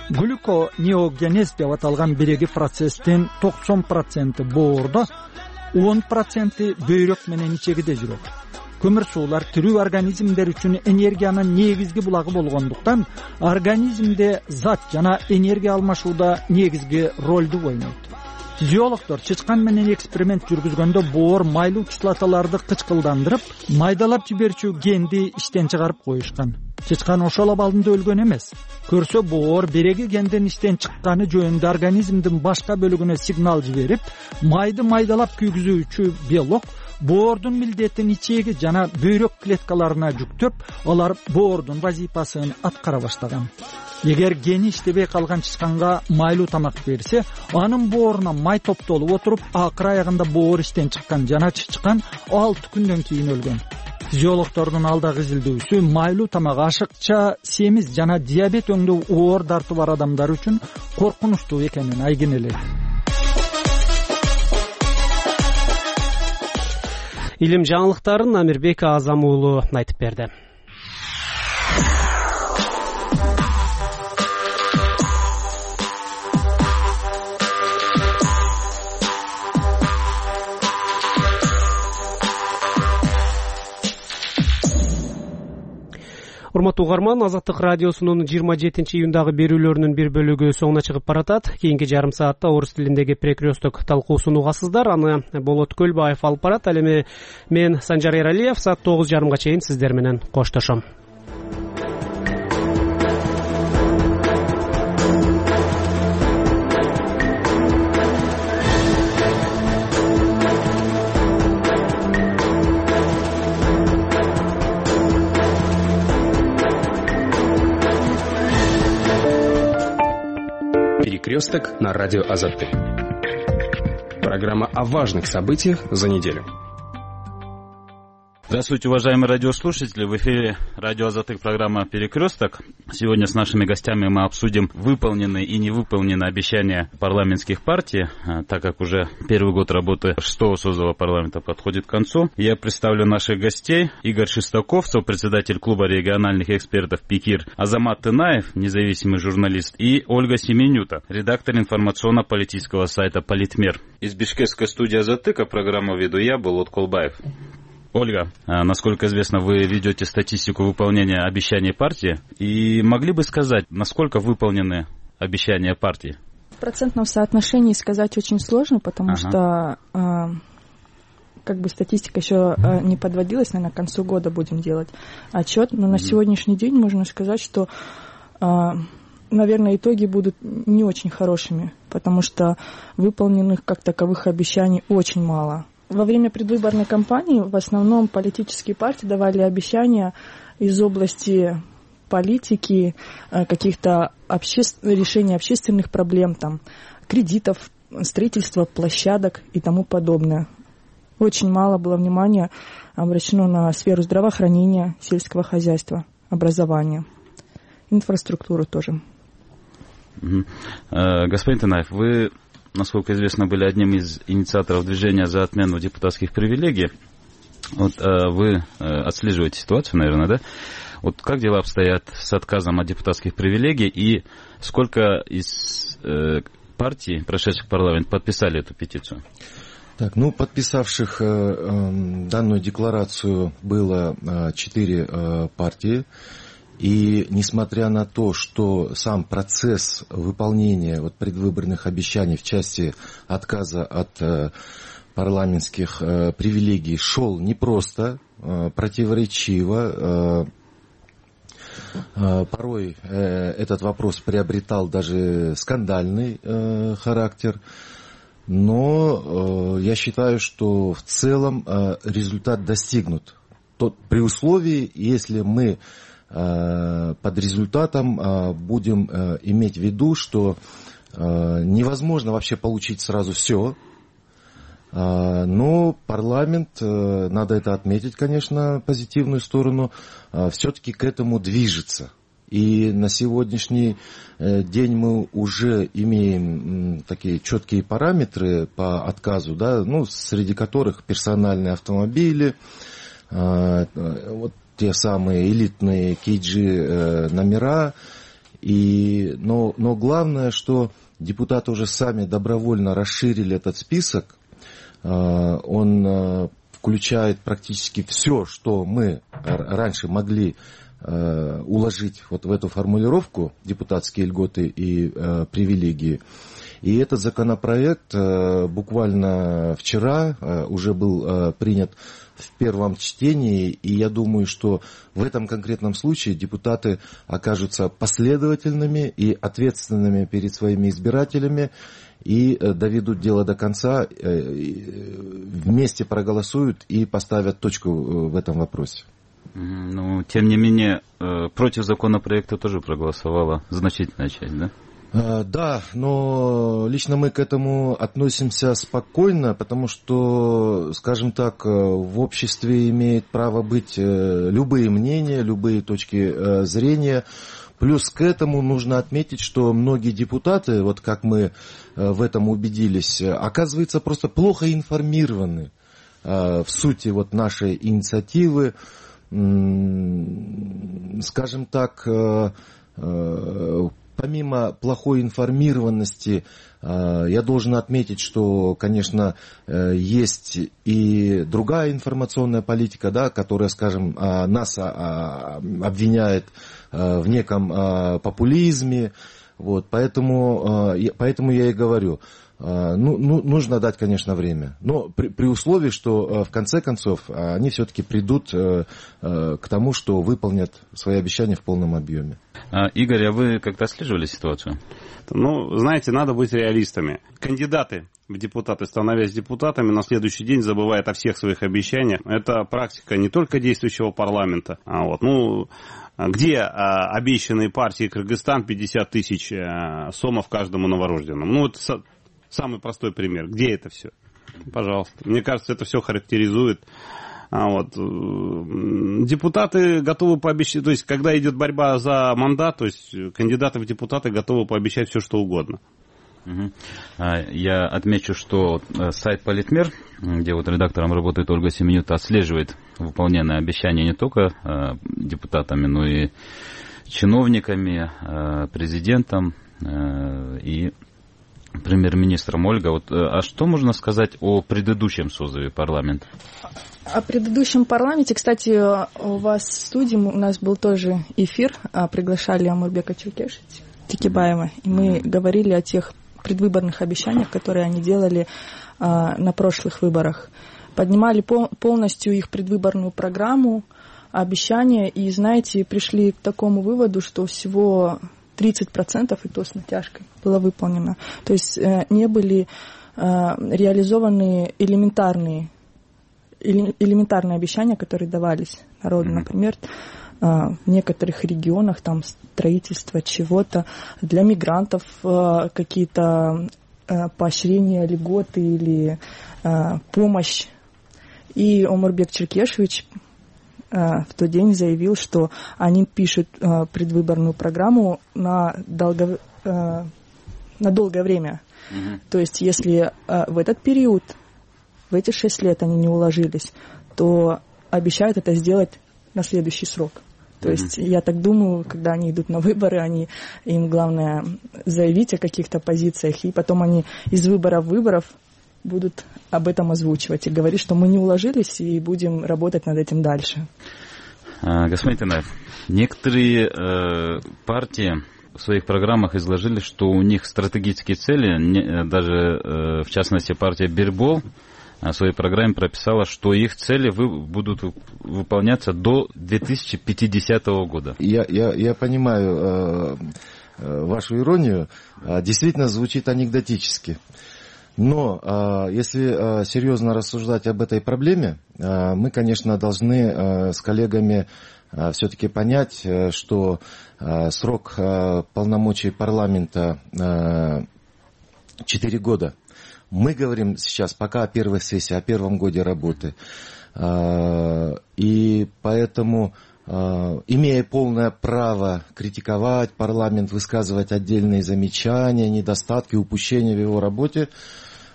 Глюконеогенез деп аталган биреги процесстин токсон проценти боордо, он проценти бөйрөк менен ичегиде жүрөт. Көмүр суулар тирүү организмдер үчүн энергиянын негизги булагы болгондуктан, организмде зат жана энергия алмашууда негизги ролду ойнойт. Физиологдор чычкан менен эксперимент жүргүзгөндө боор майлуу кислоталарды кычкылдандырып, майдалап жиберчү генди иштен чыгарып коюшкан. Чычкан ошол абалында өлгөн эмес. Көрсө боор береги гендин иштен чыкканы жөнүндө организмдин башка бөлүгүнө сигнал жиберип, майды майдалап күйгүзүүчү белок боордун милдетин ичеги жана бөйрөк клеткаларына жүктөп, алар боордун вазифасын аткара баштаган. Эгер гени иштебей калган чычканга майлуу тамак берсе, анын бооруна май топтолуп отуруп, акыр аягында боор иштен чыккан жана чычкан алты күндөн кийин өлгөн. Физиологдордун алдагы изилдөөсү майлуу тамак ашыкча семиз жана диабет өңдүү оор дарты бар адамдар үчүн коркунучтуу экенин айгинелейт. Илим жаңылыктарын Амирбек Азам уулу айтып берди. урматтуу угарман, Азаттык радиосунун жыйырма жетинчи июндагы берүүлөрүнүн бир бөлүгү соңуна чыгып баратат. Кийинки жарым саатта орус тилиндеги перекресток талкуусун угасыздар. Аны Болот Көлбаев алып барат. Ал эми мен Санжар Эралиев саат тогуз жарымга чейин сиздер менен коштошом. Перекресток на радио Азаттык. Программа о важных событиях за неделю. Здравствуйте, уважаемые радиослушатели. В эфире радио Азаттык, программа «Перекресток». Сегодня с нашими гостями мы обсудим выполненные и невыполненные обещания парламентских партий, так как уже первый год работы шестого созыва парламента подходит к концу. Я представлю наших гостей. Игорь Шестаков, председатель клуба региональных экспертов «Пикир», Азамат Тынаев, независимый журналист, и Ольга Семенюта, редактор информационно-политического сайта «Политмер». Из бишкекской студии Азаттыка программу веду я, Болот Көлбаев. Ольга, насколько известно, вы ведете статистику выполнения обещаний партии. И могли бы сказать, насколько выполнены обещания партии? В процентном соотношении сказать очень сложно, потому ага. что э, как бы статистика еще э, не подводилась, наверное, к концу года будем делать отчет. Но mm-hmm. на сегодняшний день можно сказать, что, э, наверное, итоги будут не очень хорошими, потому что выполненных как таковых обещаний очень мало. Во время предвыборной кампании в основном политические партии давали обещания из области политики, каких-то обще... решений общественных проблем, там, кредитов, строительства площадок и тому подобное. Очень мало было внимания обращено на сферу здравоохранения, сельского хозяйства, образования, инфраструктуру тоже. Угу. Господин Тынаев, вы, насколько известно, были одним из инициаторов движения за отмену депутатских привилегий. Вот э, вы э, отслеживаете ситуацию, наверное, да? Вот как дела обстоят с отказом от депутатских привилегий и сколько из э, партий, прошедших в парламент, подписали эту петицию? Так, ну, подписавших э, э, данную декларацию было четыре э, партии. И несмотря на то, что сам процесс выполнения вот предвыборных обещаний в части отказа от э, парламентских э, привилегий шел непросто, э, противоречиво, э, э, порой э, этот вопрос приобретал даже скандальный э, характер, но э, я считаю, что в целом э, результат достигнут. Тот, при условии, если мы под результатом будем иметь в виду, что невозможно вообще получить сразу все, но парламент, надо это отметить, конечно, позитивную сторону, все-таки к этому движется. И на сегодняшний день мы уже имеем такие четкие параметры по отказу, да, ну, среди которых персональные автомобили, вот, те самые элитные кейджи э, номера. И, но, но главное, что депутаты уже сами добровольно расширили этот список. Э, он э, включает практически все, что мы раньше могли э, уложить вот в эту формулировку депутатские льготы и э, привилегии. И этот законопроект э, буквально вчера э, уже был э, принят в первом чтении, и я думаю, что в этом конкретном случае депутаты окажутся последовательными и ответственными перед своими избирателями и доведут дело до конца, вместе проголосуют и поставят точку в этом вопросе. Ну, тем не менее, против законопроекта тоже проголосовала значительная часть, да? Да, но лично мы к этому относимся спокойно, потому что, скажем так, в обществе имеет право быть любые мнения, любые точки зрения. Плюс к этому нужно отметить, что многие депутаты, вот как мы в этом убедились, оказывается, просто плохо информированы в сути вот нашей инициативы. Скажем так, помимо плохой информированности, я должен отметить, что, конечно, есть и другая информационная политика, да, которая, скажем, нас обвиняет в неком популизме. Вот, поэтому, поэтому я и говорю, ну, ну, нужно дать, конечно, время. Но при, при условии, что в конце концов они все-таки придут к тому, что выполнят свои обещания в полном объеме. А, Игорь, а вы как-то отслеживали ситуацию? Ну, знаете, надо быть реалистами. Кандидаты в депутаты, становясь депутатами, на следующий день забывают о всех своих обещаниях. Это практика не только действующего парламента. А вот, ну, где а, обещанные партии Кыргызстан пятьдесят тысяч а, сомов каждому новорожденному? Ну, это со, самый простой пример. Где это все? Пожалуйста. Мне кажется, это все характеризует. А вот, депутаты готовы пообещать, то есть, когда идет борьба за мандат, то есть, кандидаты в депутаты готовы пообещать все, что угодно. Угу. Я отмечу, что сайт Политмер, где вот редактором работает Ольга Семенюта, отслеживает выполненные обещания не только депутатами, но и чиновниками, президентом и премьер-министром. Ольга, вот, а что можно сказать о предыдущем созыве парламента? О предыдущем парламенте, кстати, у вас в студии у нас был тоже эфир, приглашали Омурбека Чиркешевича-Текебаева, и мы mm-hmm. говорили о тех предвыборных обещаниях, которые они делали а, на прошлых выборах. Поднимали пол, полностью их предвыборную программу, обещания, и, знаете, пришли к такому выводу, что всего тридцать процентов, и то с натяжкой, было выполнено. То есть э, не были э, реализованы элементарные, эле, элементарные обещания, которые давались народу, mm-hmm. например, в некоторых регионах там строительство чего-то, для мигрантов какие-то поощрения, льготы или помощь. И Омурбек Чиркешевич в тот день заявил, что они пишут предвыборную программу на, долго, на долгое время. Mm-hmm. То есть если в этот период, в эти шесть лет они не уложились, то обещают это сделать на следующий срок. То mm-hmm. есть, я так думаю, когда они идут на выборы, они, им главное заявить о каких-то позициях, и потом они из выборов в выборов будут об этом озвучивать и говорить, что мы не уложились и будем работать над этим дальше. А, господин Танаев, некоторые э, партии в своих программах изложили, что у них стратегические цели, не, даже э, в частности партия Бирбол, в своей программе прописала, что их цели вы, будут выполняться до две тысячи пятидесятого года. Я, я, я понимаю э, э, вашу иронию. Действительно звучит анекдотически. Но э, если э, серьезно рассуждать об этой проблеме, э, мы, конечно, должны э, с коллегами э, все-таки понять, э, что э, срок э, полномочий парламента э, четыре года. Мы говорим сейчас пока о первой сессии, о первом годе работы. И поэтому, имея полное право критиковать парламент, высказывать отдельные замечания, недостатки, упущения в его работе,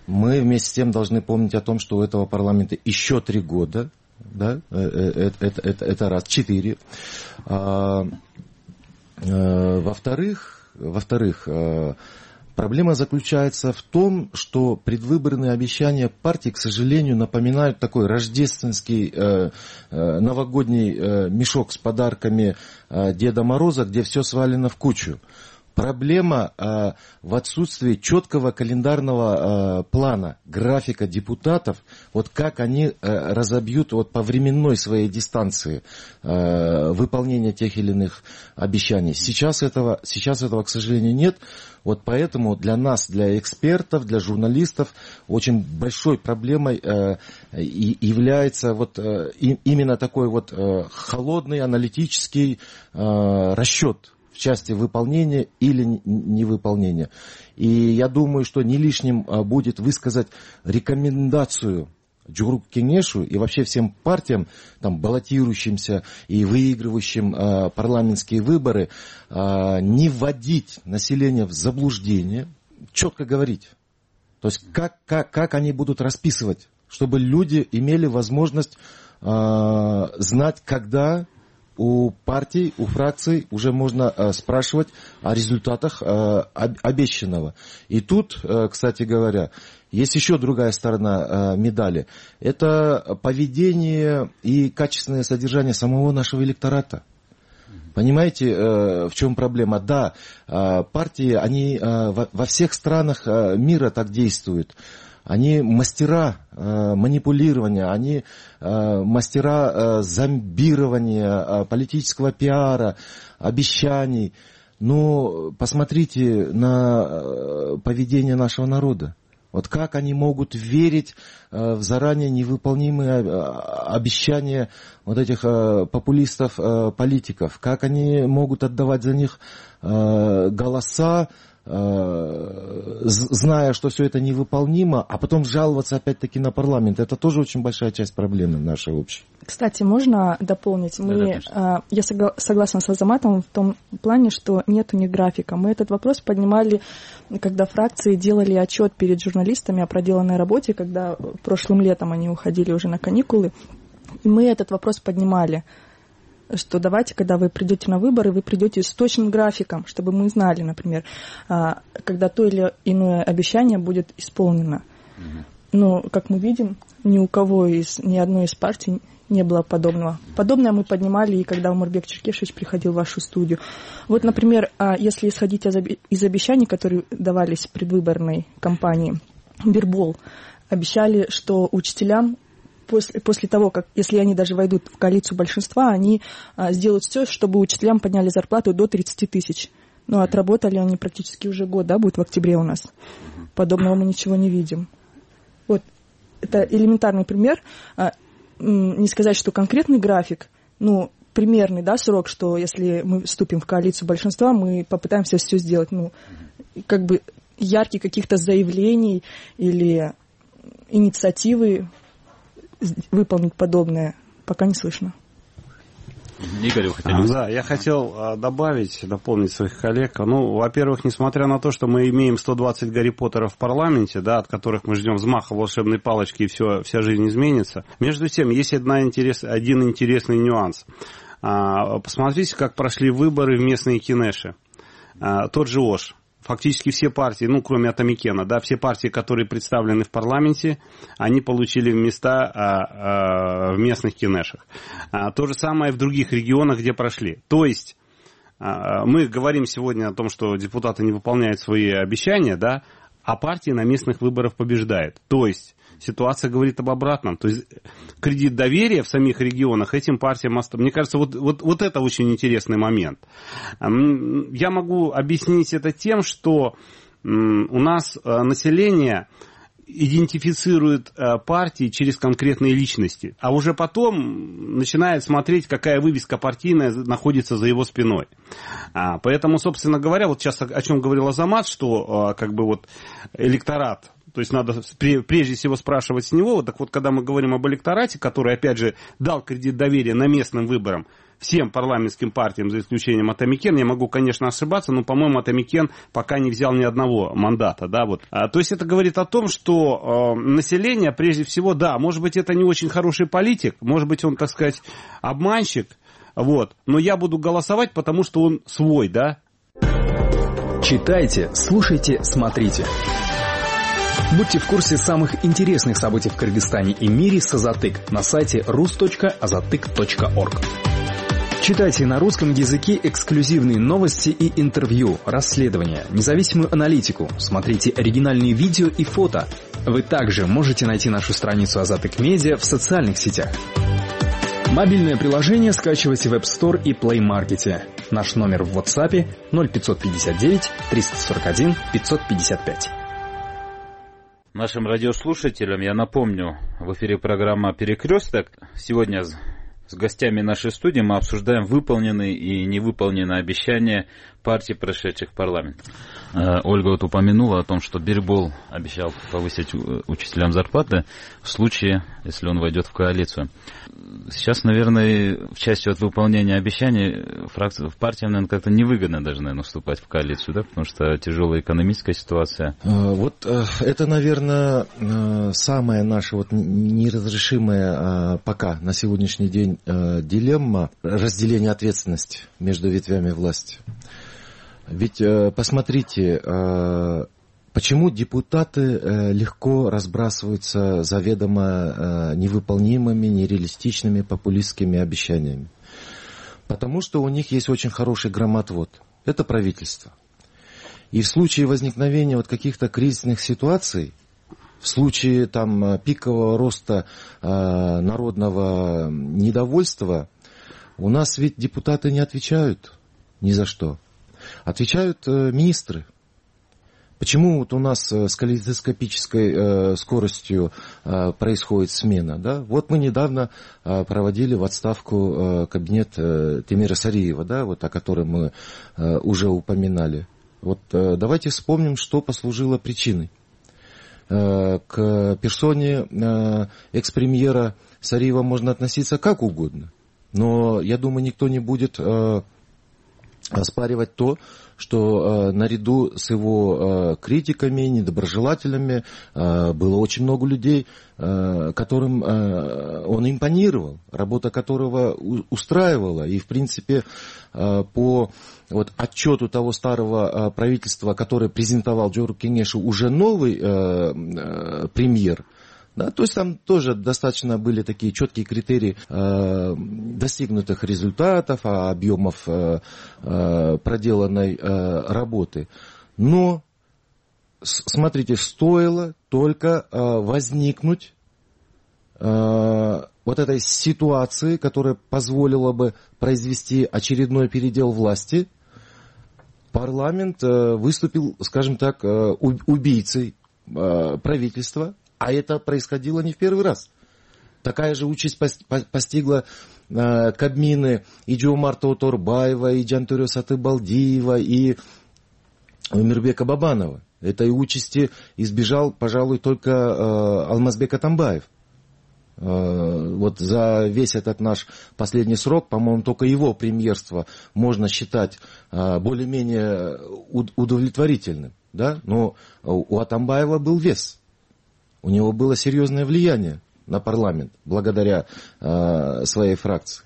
мы вместе с тем должны помнить о том, что у этого парламента еще три года. Да? Это, это, это, это раз, четыре. Во-вторых, во-вторых, проблема заключается в том, что предвыборные обещания партий, к сожалению, напоминают такой рождественский э, э, новогодний э, мешок с подарками э, Деда Мороза, где все свалено в кучу. Проблема э, в отсутствии четкого календарного э, плана, графика депутатов, вот как они э, разобьют вот, по временной своей дистанции э, выполнение тех или иных обещаний. Сейчас этого, сейчас этого, к сожалению, нет. Вот поэтому для нас, для экспертов, для журналистов очень большой проблемой э, и является вот, э, и, именно такой вот э, холодный аналитический э, расчет в части выполнения или невыполнения. И я думаю, что не лишним будет высказать рекомендацию Джугурук Кеңешу и вообще всем партиям, там, баллотирующимся и выигрывающим э, парламентские выборы, э, не вводить население в заблуждение, четко говорить. То есть как, как, как они будут расписывать, чтобы люди имели возможность э, знать, когда у партий, у фракций уже можно э, спрашивать о результатах э, обещанного. И тут, э, кстати говоря, есть еще другая сторона э, медали. Это поведение и качественное содержание самого нашего электората. Понимаете, э, в чем проблема? Да, э, партии, они э, во, во всех странах э, мира так действуют. Они мастера э, манипулирования, они э, мастера э, зомбирования, э, политического пиара, обещаний. Но посмотрите на э, поведение нашего народа. Вот как они могут верить э, в заранее невыполнимые э, обещания вот этих э, популистов, э, политиков? Как они могут отдавать за них э, голоса, э, зная, что все это невыполнимо, а потом жаловаться опять-таки на парламент? Это тоже очень большая часть проблемы нашей общей. Кстати, можно дополнить? Мы, да, я согласна с Азаматом в том плане, что нет у них графика. Мы этот вопрос поднимали, когда фракции делали отчет перед журналистами о проделанной работе, когда прошлым летом они уходили уже на каникулы. И мы этот вопрос поднимали, что давайте, когда вы придете на выборы, вы придете с точным графиком, чтобы мы знали, например, когда то или иное обещание будет исполнено. Но, как мы видим, ни у кого из, ни одной из партий не было подобного. Подобное мы поднимали и когда Умурбек Черкешевич приходил в вашу студию. Вот, например, если исходить из обещаний, которые давались в предвыборной кампании, Бирбол обещали, что учителям после, после того, как, если они даже войдут в коалицию большинства, они сделают все, чтобы учителям подняли зарплату до тридцати тысяч. Но отработали они практически уже год, да, будет в октябре у нас. Подобного мы ничего не видим. Вот, это элементарный пример. Не сказать, что конкретный график, ну, примерный, да, срок, что если мы вступим в коалицию большинства, мы попытаемся все сделать, ну, как бы ярких каких-то заявлений или инициативы выполнить подобное пока не слышно. Игорь, вы хотели... Да, я хотел добавить, дополнить своих коллег. Ну, во-первых, несмотря на то, что мы имеем сто двадцать Гарри Поттеров в парламенте, да, от которых мы ждем взмаха волшебной палочки, и все, вся жизнь изменится. Между тем, есть одна интерес, один интересный нюанс. Посмотрите, как прошли выборы в местные кинеши. Тот же Ош. Фактически все партии, ну, кроме Атамикена, да, все партии, которые представлены в парламенте, они получили места а, а, в местных кинешах. А, то же самое в других регионах, где прошли. То есть а, мы говорим сегодня о том, что депутаты не выполняют свои обещания, да, а партии на местных выборах побеждают. То есть ситуация говорит об обратном. То есть кредит доверия в самих регионах этим партиям... Мне кажется, вот, вот, вот это очень интересный момент. Я могу объяснить это тем, что у нас население идентифицирует партии через конкретные личности, а уже потом начинает смотреть, какая вывеска партийная находится за его спиной. Поэтому, собственно говоря, вот сейчас о чем говорил Азамат, что как бы вот электорат... То есть надо прежде всего спрашивать с него. Так вот, когда мы говорим об электорате, который, опять же, дал кредит доверия на местным выборам всем парламентским партиям, за исключением Атамикен, я могу, конечно, ошибаться, но, по-моему, Атамикен пока не взял ни одного мандата. Да, вот. а, то есть это говорит о том, что э, население, прежде всего, да, может быть, это не очень хороший политик, может быть, он, так сказать, обманщик, вот, но я буду голосовать, потому что он свой, да. Читайте, слушайте, смотрите. Будьте в курсе самых интересных событий в Кыргызстане и мире с Азатык на сайте рус точка азатык точка орг. Читайте на русском языке эксклюзивные новости и интервью, расследования, независимую аналитику, смотрите оригинальные видео и фото. Вы также можете найти нашу страницу Азатык Медиа в социальных сетях. Мобильное приложение скачивайте в App Store и Play Market. Наш номер в WhatsApp ноль пятьсот пятьдесят девять триста сорок один пятьсот пятьдесят пять. Нашим радиослушателям я напомню, в эфире программа «Перекресток». Сегодня с гостями нашей студии мы обсуждаем выполненные и невыполненные обещания партий, прошедших в парламент. Ольга вот упомянула о том, что Бирбол обещал повысить учителям зарплаты в случае, если он войдет в коалицию. Сейчас, наверное, в части от выполнения обещаний фракции, в партиям, наверное, как-то невыгодно даже, наверное, вступать в коалицию, да, потому что тяжелая экономическая ситуация. Вот это, наверное, самая наша вот неразрешимая пока на сегодняшний день дилемма разделения ответственности между ветвями власти. Ведь посмотрите, почему депутаты легко разбрасываются заведомо невыполнимыми, нереалистичными, популистскими обещаниями? Потому что у них есть очень хороший громотвод. Это правительство. И в случае возникновения вот каких-то кризисных ситуаций, в случае там пикового роста народного недовольства, у нас ведь депутаты не отвечают ни за что. Отвечают э, министры. Почему вот у нас с калейдоскопической э, скоростью э, происходит смена? Да? Вот мы недавно э, проводили в отставку э, кабинет э, Темира Сариева, да, вот, о котором мы э, уже упоминали. Вот, э, давайте вспомним, что послужило причиной. Э, к персоне э, экс-премьера Сариева можно относиться как угодно. Но, я думаю, никто не будет э, оспаривать то, что э, наряду с его э, критиками, недоброжелателями э, было очень много людей, э, которым э, он импонировал, работа которого у, устраивала. И, в принципе, э, по вот, отчету того старого э, правительства, которое презентовал Жору Кеңешу, уже новый э, э, премьер, да, то есть там тоже достаточно были такие четкие критерии э, достигнутых результатов, объемов э, э, проделанной э, работы. Но, смотрите, стоило только э, возникнуть э, вот этой ситуации, которая позволила бы произвести очередной передел власти, парламент э, выступил, скажем так, э, убийцей э, правительства. А это происходило не в первый раз. Такая же участь постигла э, Кабмины и Жомарта Оторбаева, и Жантөре Сатыбалдиева, и Умирбека Бабанова. Этой участи избежал, пожалуй, только э, Алмазбек Атамбаев. Э, вот за весь этот наш последний срок, по-моему, только его премьерство можно считать э, более-менее удовлетворительным. Да? Но у Атамбаева был вес. У него было серьезное влияние на парламент, благодаря э, своей фракции.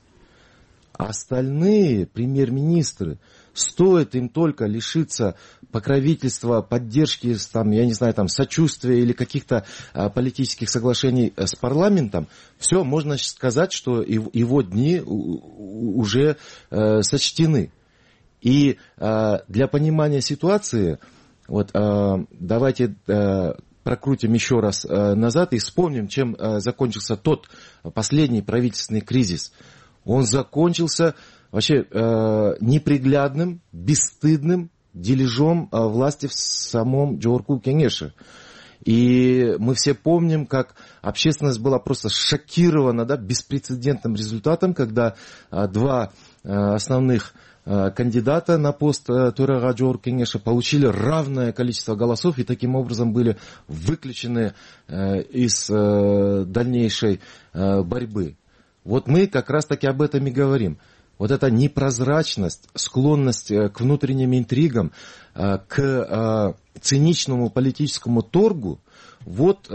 Остальные премьер-министры, стоит им только лишиться покровительства, поддержки, там, я не знаю, там, сочувствия или каких-то э, политических соглашений с парламентом, все, можно сказать, что его, его дни у, уже э, сочтены. И э, для понимания ситуации, вот, э, давайте... Э, прокрутим еще раз э, назад и вспомним, чем э, закончился тот последний правительственный кризис. Он закончился вообще э, неприглядным, бесстыдным дележом э, власти в самом Жогорку Кеңеше. И мы все помним, как общественность была просто шокирована, да, беспрецедентным результатом, когда э, два э, основных кандидата на пост төрага Жогорку Кеңеше получили равное количество голосов и таким образом были выключены из дальнейшей борьбы. Вот мы как раз таки об этом и говорим. Вот эта непрозрачность, склонность к внутренним интригам, к циничному политическому торгу, вот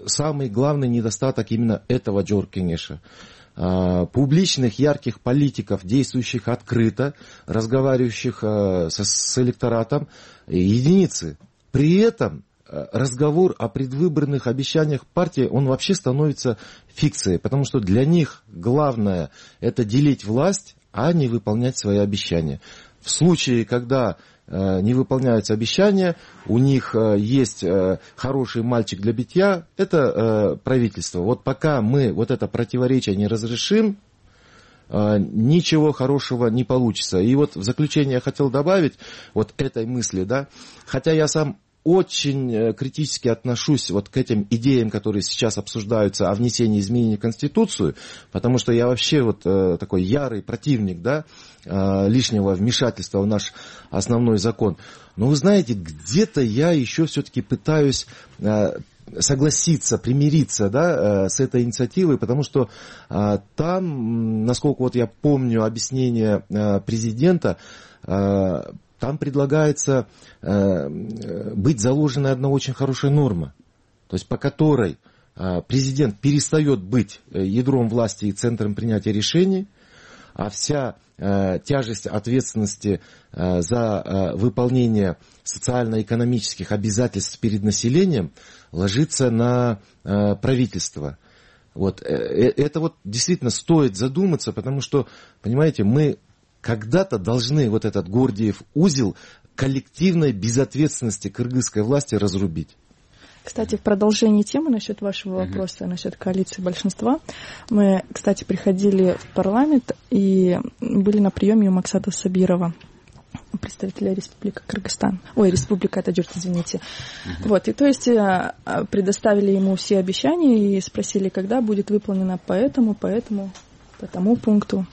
самый главный недостаток именно этого Жогорку Кеңеше. Публичных, ярких политиков, действующих открыто, разговаривающих с, с электоратом, единицы. При этом разговор о предвыборных обещаниях партии, он вообще становится фикцией, потому что для них главное это делить власть, а не выполнять свои обещания. В случае, когда не выполняются обещания, у них есть хороший мальчик для битья, это правительство. Вот пока мы вот это противоречие не разрешим, ничего хорошего не получится. И вот в заключение я хотел добавить вот этой мысли, да, хотя я сам очень критически отношусь вот к этим идеям, которые сейчас обсуждаются о внесении изменений в Конституцию, потому что я вообще вот такой ярый противник, да, лишнего вмешательства в наш основной закон. Но вы знаете, где-то я еще все-таки пытаюсь согласиться, примириться, да, с этой инициативой, потому что там, насколько вот я помню объяснение президента, там предлагается э, быть заложена одна очень хорошая норма, то есть по которой э, президент перестает быть ядром власти и центром принятия решений, а вся э, тяжесть ответственности э, за э, выполнение социально-экономических обязательств перед населением ложится на э, правительство. Вот. Это вот действительно стоит задуматься, потому что, понимаете, мы когда-то должны вот этот Гордиев узел коллективной безответственности кыргызской власти разрубить. Кстати, в продолжении темы насчет вашего вопроса, насчет коалиции большинства, мы, кстати, приходили в парламент и были на приеме у Максата Сабирова, представителя Республики Кыргызстан. Ой, Республика Таджикистан, извините. Uh-huh. Вот, и то есть предоставили ему все обещания и спросили, когда будет выполнено по этому, по этому, по тому пункту.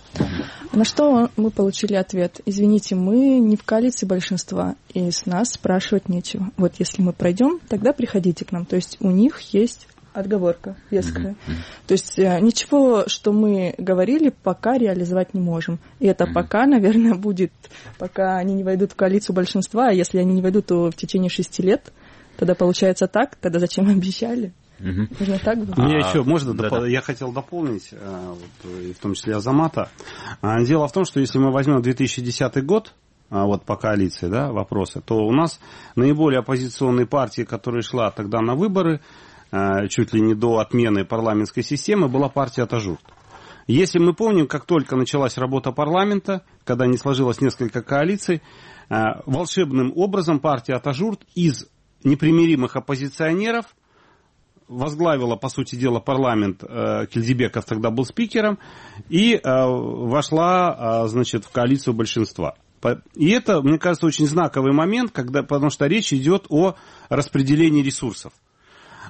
На что мы получили ответ: извините, мы не в коалиции большинства, и с нас спрашивать нечего. Вот если мы пройдем, тогда приходите к нам. То есть у них есть отговорка веская. Mm-hmm. То есть ничего, что мы говорили, пока реализовать не можем. И это mm-hmm. пока, наверное, будет, пока они не войдут в коалицию большинства, а если они не войдут, то в течение шести лет. Тогда получается так, тогда зачем обещали? Угу. Можно так было? Мне а, еще можно, да, доп... да. Я хотел дополнить, вот, и в том числе Азамата. Дело в том, что если мы возьмем две тысячи десятый год, вот по коалиции, да, вопросы, то у нас наиболее оппозиционной партией, которая шла тогда на выборы, чуть ли не до отмены парламентской системы, была партия Атажурт. Если мы помним, как только началась работа парламента, когда не сложилось несколько коалиций, волшебным образом партия Атажурт из непримиримых оппозиционеров возглавила, по сути дела, парламент, э, Кильдибеков тогда был спикером, и э, вошла, э, значит, в коалицию большинства. И это, мне кажется, очень знаковый момент, когда, потому что речь идет о распределении ресурсов.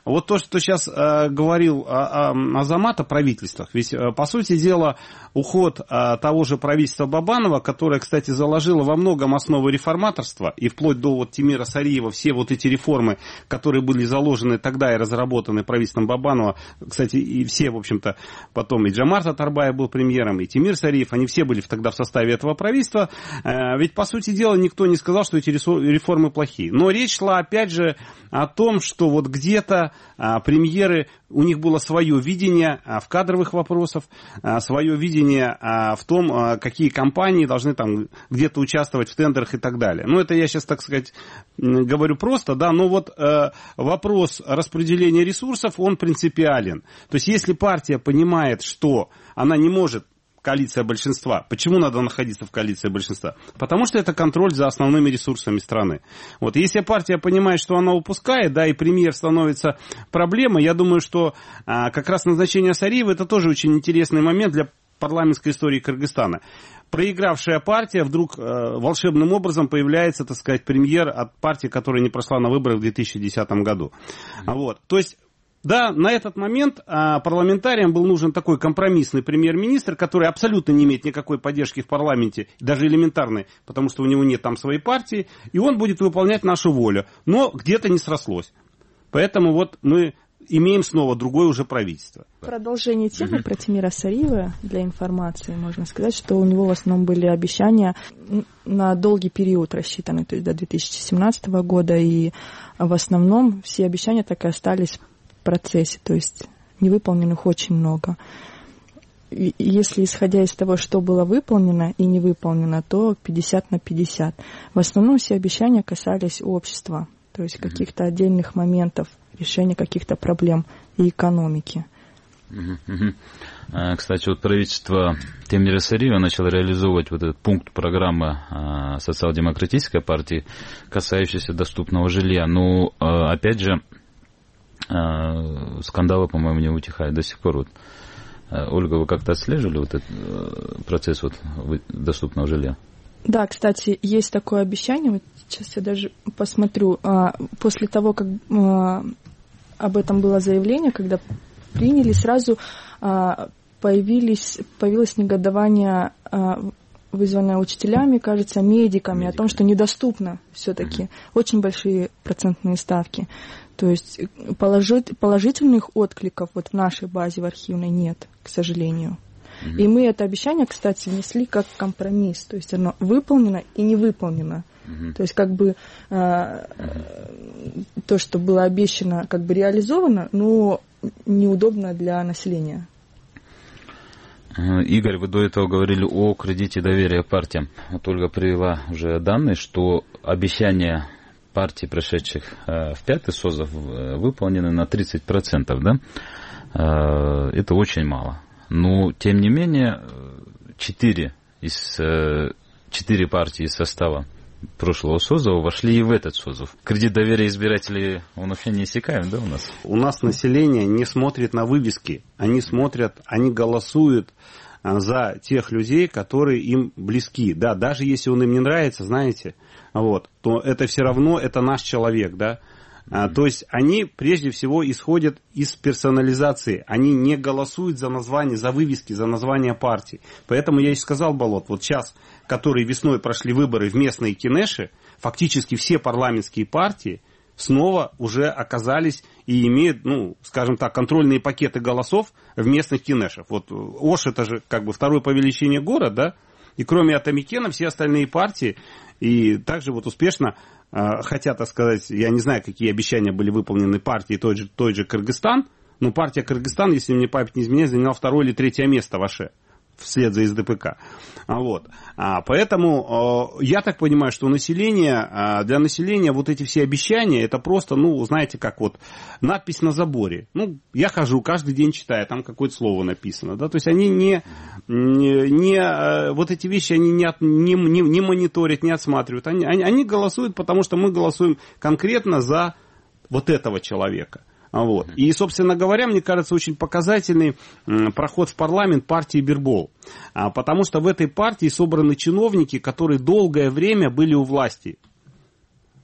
Вот то, что сейчас э, говорил э, э, Азамат о правительствах, ведь, э, по сути дела, уход э, того же правительства Бабанова, которое, кстати, заложило во многом основы реформаторства, и вплоть до вот Тимира Сариева, все вот эти реформы, которые были заложены тогда и разработаны правительством Бабанова, кстати, и все, в общем-то, потом и Джамар Татарбаев был премьером, и Тимир Сариев, они все были тогда в составе этого правительства, э, ведь, по сути дела, никто не сказал, что эти реформы плохие. Но речь шла, опять же, о том, что вот где-то а, премьеры, у них было свое видение а, в кадровых вопросах, а, свое видение а, в том, а, какие компании должны там где-то участвовать в тендерах и так далее. Ну, это я сейчас, так сказать, говорю просто, да, но вот а, вопрос распределения ресурсов, он принципиален. То есть, если партия понимает, что она не может коалиция большинства. Почему надо находиться в коалиции большинства? Потому что это контроль за основными ресурсами страны. Вот. Если партия понимает, что она упускает, да, и премьер становится проблемой, я думаю, что а, как раз назначение Сариева это тоже очень интересный момент для парламентской истории Кыргызстана. Проигравшая партия вдруг э, волшебным образом появляется, так сказать, премьер от партии, которая не прошла на выборы в две тысячи десятом году. Mm-hmm. Вот. То есть да, на этот момент а, парламентариям был нужен такой компромиссный премьер-министр, который абсолютно не имеет никакой поддержки в парламенте, даже элементарной, потому что у него нет там своей партии, и он будет выполнять нашу волю. Но где-то не срослось. Поэтому вот мы имеем снова другое уже правительство. В продолжении темы про Тимира Сариева, для информации, можно сказать, что у него в основном были обещания на долгий период рассчитаны, то есть до две тысячи семнадцатого года, и в основном все обещания так и остались процессе, то есть невыполненных очень много. И если исходя из того, что было выполнено и не выполнено, то пятьдесят на пятьдесят. В основном все обещания касались общества, то есть каких-то отдельных моментов, решения каких-то проблем и экономики. Кстати, вот правительство Тимира Сариева начало реализовывать вот этот пункт программы социал-демократической партии, касающийся доступного жилья. Но, опять же, скандалы, по-моему, не утихают до сих пор. Вот. Ольга, вы как-то отслеживали вот этот процесс вот доступного жилья? Да, кстати, есть такое обещание, вот сейчас я даже посмотрю, после того, как об этом было заявление, когда приняли, сразу появились, появилось негодование, вызванное учителями, кажется, медиками, Медики. О том, что недоступно все-таки. Mm-hmm. Очень большие процентные ставки. То есть положить, положительных откликов вот в нашей базе, в архивной, нет, к сожалению. Mm-hmm. И мы это обещание, кстати, внесли как компромисс. То есть оно выполнено и не выполнено. Mm-hmm. То есть как бы э, mm-hmm. то, что было обещано, как бы реализовано, но неудобно для населения. Игорь, вы до этого говорили о кредите доверия партиям. Вот Ольга привела уже данные, что обещания партий, прошедших в пятый созыв, выполнены на тридцать процентов, да? Это очень мало. Но, тем не менее, четыре из четыре партии из состава прошлого созыва вошли и в этот созыв. Кредит доверия избирателей, он вообще не иссякаем, да, у нас? У нас население не смотрит на вывески. Они смотрят, они голосуют за тех людей, которые им близки. Да, даже если он им не нравится, знаете, вот, то это все равно, это наш человек, да. А, то есть они прежде всего исходят из персонализации. Они не голосуют за название, за вывески, за название партий. Поэтому я и сказал, Болот, вот сейчас, которые весной прошли выборы в местные кинеши, фактически все парламентские партии снова уже оказались и имеют, ну, скажем так, контрольные пакеты голосов в местных кинешах. Вот Ош это же как бы второй по величине город, да, и кроме Атамикена все остальные партии и также вот успешно хотя, так сказать, я не знаю, какие обещания были выполнены партией той же, той же Кыргызстан, но партия Кыргызстан, если мне память не изменяет, заняла второе или третье место в Аше, вслед за эс дэ пэ ка. Вот. А, поэтому я так понимаю, что население, для населения вот эти все обещания, это просто, ну, знаете, как вот надпись на заборе. Ну, я хожу, каждый день читаю, там какое-то слово написано. Да? То есть они не, не, не вот эти вещи они не, не, не, не мониторят, не отсматривают. Они, они, они голосуют, потому что мы голосуем конкретно за вот этого человека. Вот. И, собственно говоря, мне кажется, очень показательный проход в парламент партии Бирбол. Потому что в этой партии собраны чиновники, которые долгое время были у власти.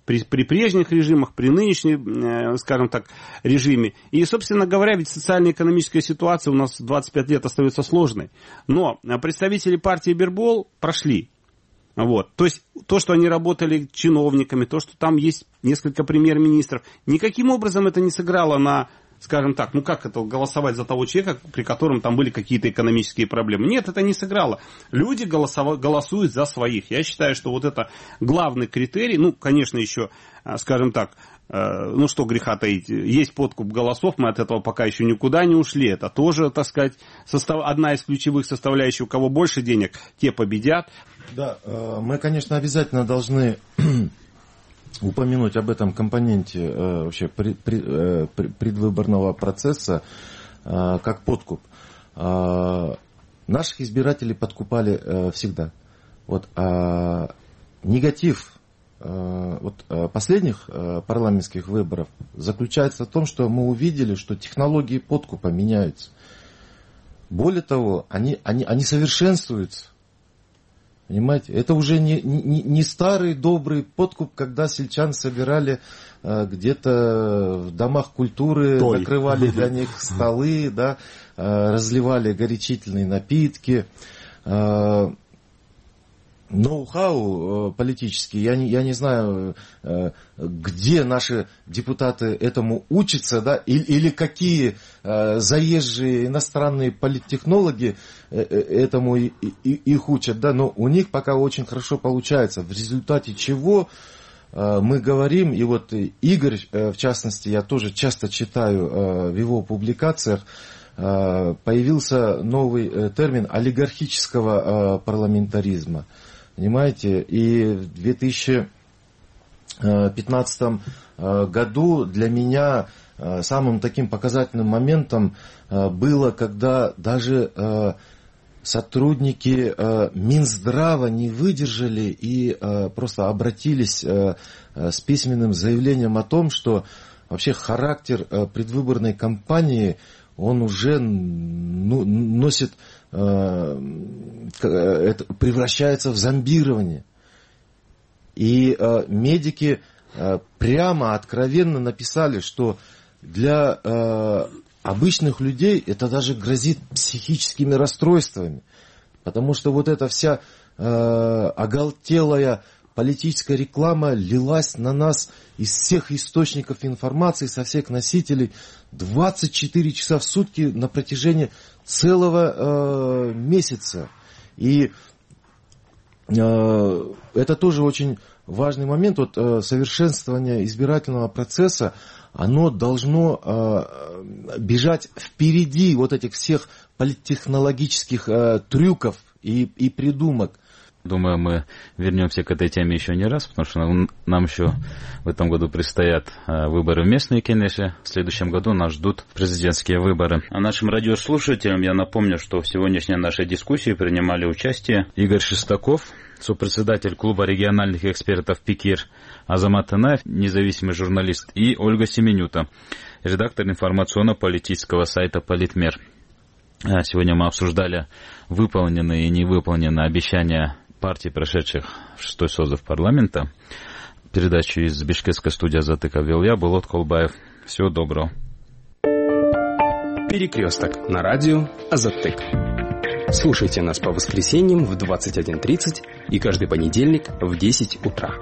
При, при прежних режимах, при нынешнем, скажем так, режиме. И, собственно говоря, ведь социально-экономическая ситуация у нас двадцать пять лет остается сложной. Но представители партии Бирбол прошли. Вот. То есть, то, что они работали чиновниками, то, что там есть несколько премьер-министров, никаким образом это не сыграло на, скажем так, ну как это голосовать за того человека, при котором там были какие-то экономические проблемы. Нет, это не сыграло. Люди голосов... голосуют за своих. Я считаю, что вот это главный критерий, ну, конечно, еще, скажем так, ну что греха таить, есть подкуп голосов, мы от этого пока еще никуда не ушли. Это тоже, так сказать, состав... одна из ключевых составляющих. У кого больше денег, те победят. Да, мы, конечно, обязательно должны упомянуть об этом компоненте вообще предвыборного процесса, как подкуп. Наших избирателей подкупали всегда. Вот, а негатив вот, последних парламентских выборов заключается в том, что мы увидели, что технологии подкупа меняются. Более того, они, они, они совершенствуются. Понимаете, это уже не, не, не старый добрый подкуп, когда сельчан собирали э, где-то в домах культуры, Той. накрывали для них столы, да, э, разливали горячительные напитки. Э, ноу-хау э, политический, я не, я не знаю, э, где наши депутаты этому учатся, да, или, или какие э, заезжие иностранные политтехнологи э, этому и, и, их учат, да, но у них пока очень хорошо получается, в результате чего э, мы говорим, и вот Игорь, э, в частности, я тоже часто читаю э, в его публикациях, э, появился новый э, термин олигархического э, парламентаризма. Понимаете, и в две тысячи пятнадцатом году для меня самым таким показательным моментом было, когда даже сотрудники Минздрава не выдержали и просто обратились с письменным заявлением о том, что вообще характер предвыборной кампании, он уже носит, превращается в зомбирование. И э, медики э, прямо, откровенно написали, что для э, обычных людей это даже грозит психическими расстройствами. Потому что вот эта вся э, оголтелая политическая реклама лилась на нас из всех источников информации, со всех носителей двадцать четыре часа в сутки на протяжении целого э, месяца. И э, это тоже очень важный момент. Вот, э, совершенствование избирательного процесса, оно должно э, бежать впереди вот этих всех политтехнологических э, трюков и, и придумок. Думаю, мы вернемся к этой теме еще не раз, потому что нам еще в этом году предстоят выборы в местные кенеши. В следующем году нас ждут президентские выборы. А нашим радиослушателям я напомню, что в сегодняшней нашей дискуссии принимали участие Игорь Шестаков, сопредседатель клуба региональных экспертов ПИКИР, Азамат Танаев, независимый журналист, и Ольга Семенюта, редактор информационно-политического сайта «Политмер». Сегодня мы обсуждали выполненные и невыполненные обещания партий, прошедших в шестой созыв парламента. Передачу из Бишкекской студии «Азатык» вел я, Булат Колбаев. Всего доброго. Перекресток на радио «Азатык». Слушайте нас по воскресеньям в двадцать один тридцать и каждый понедельник в десять утра.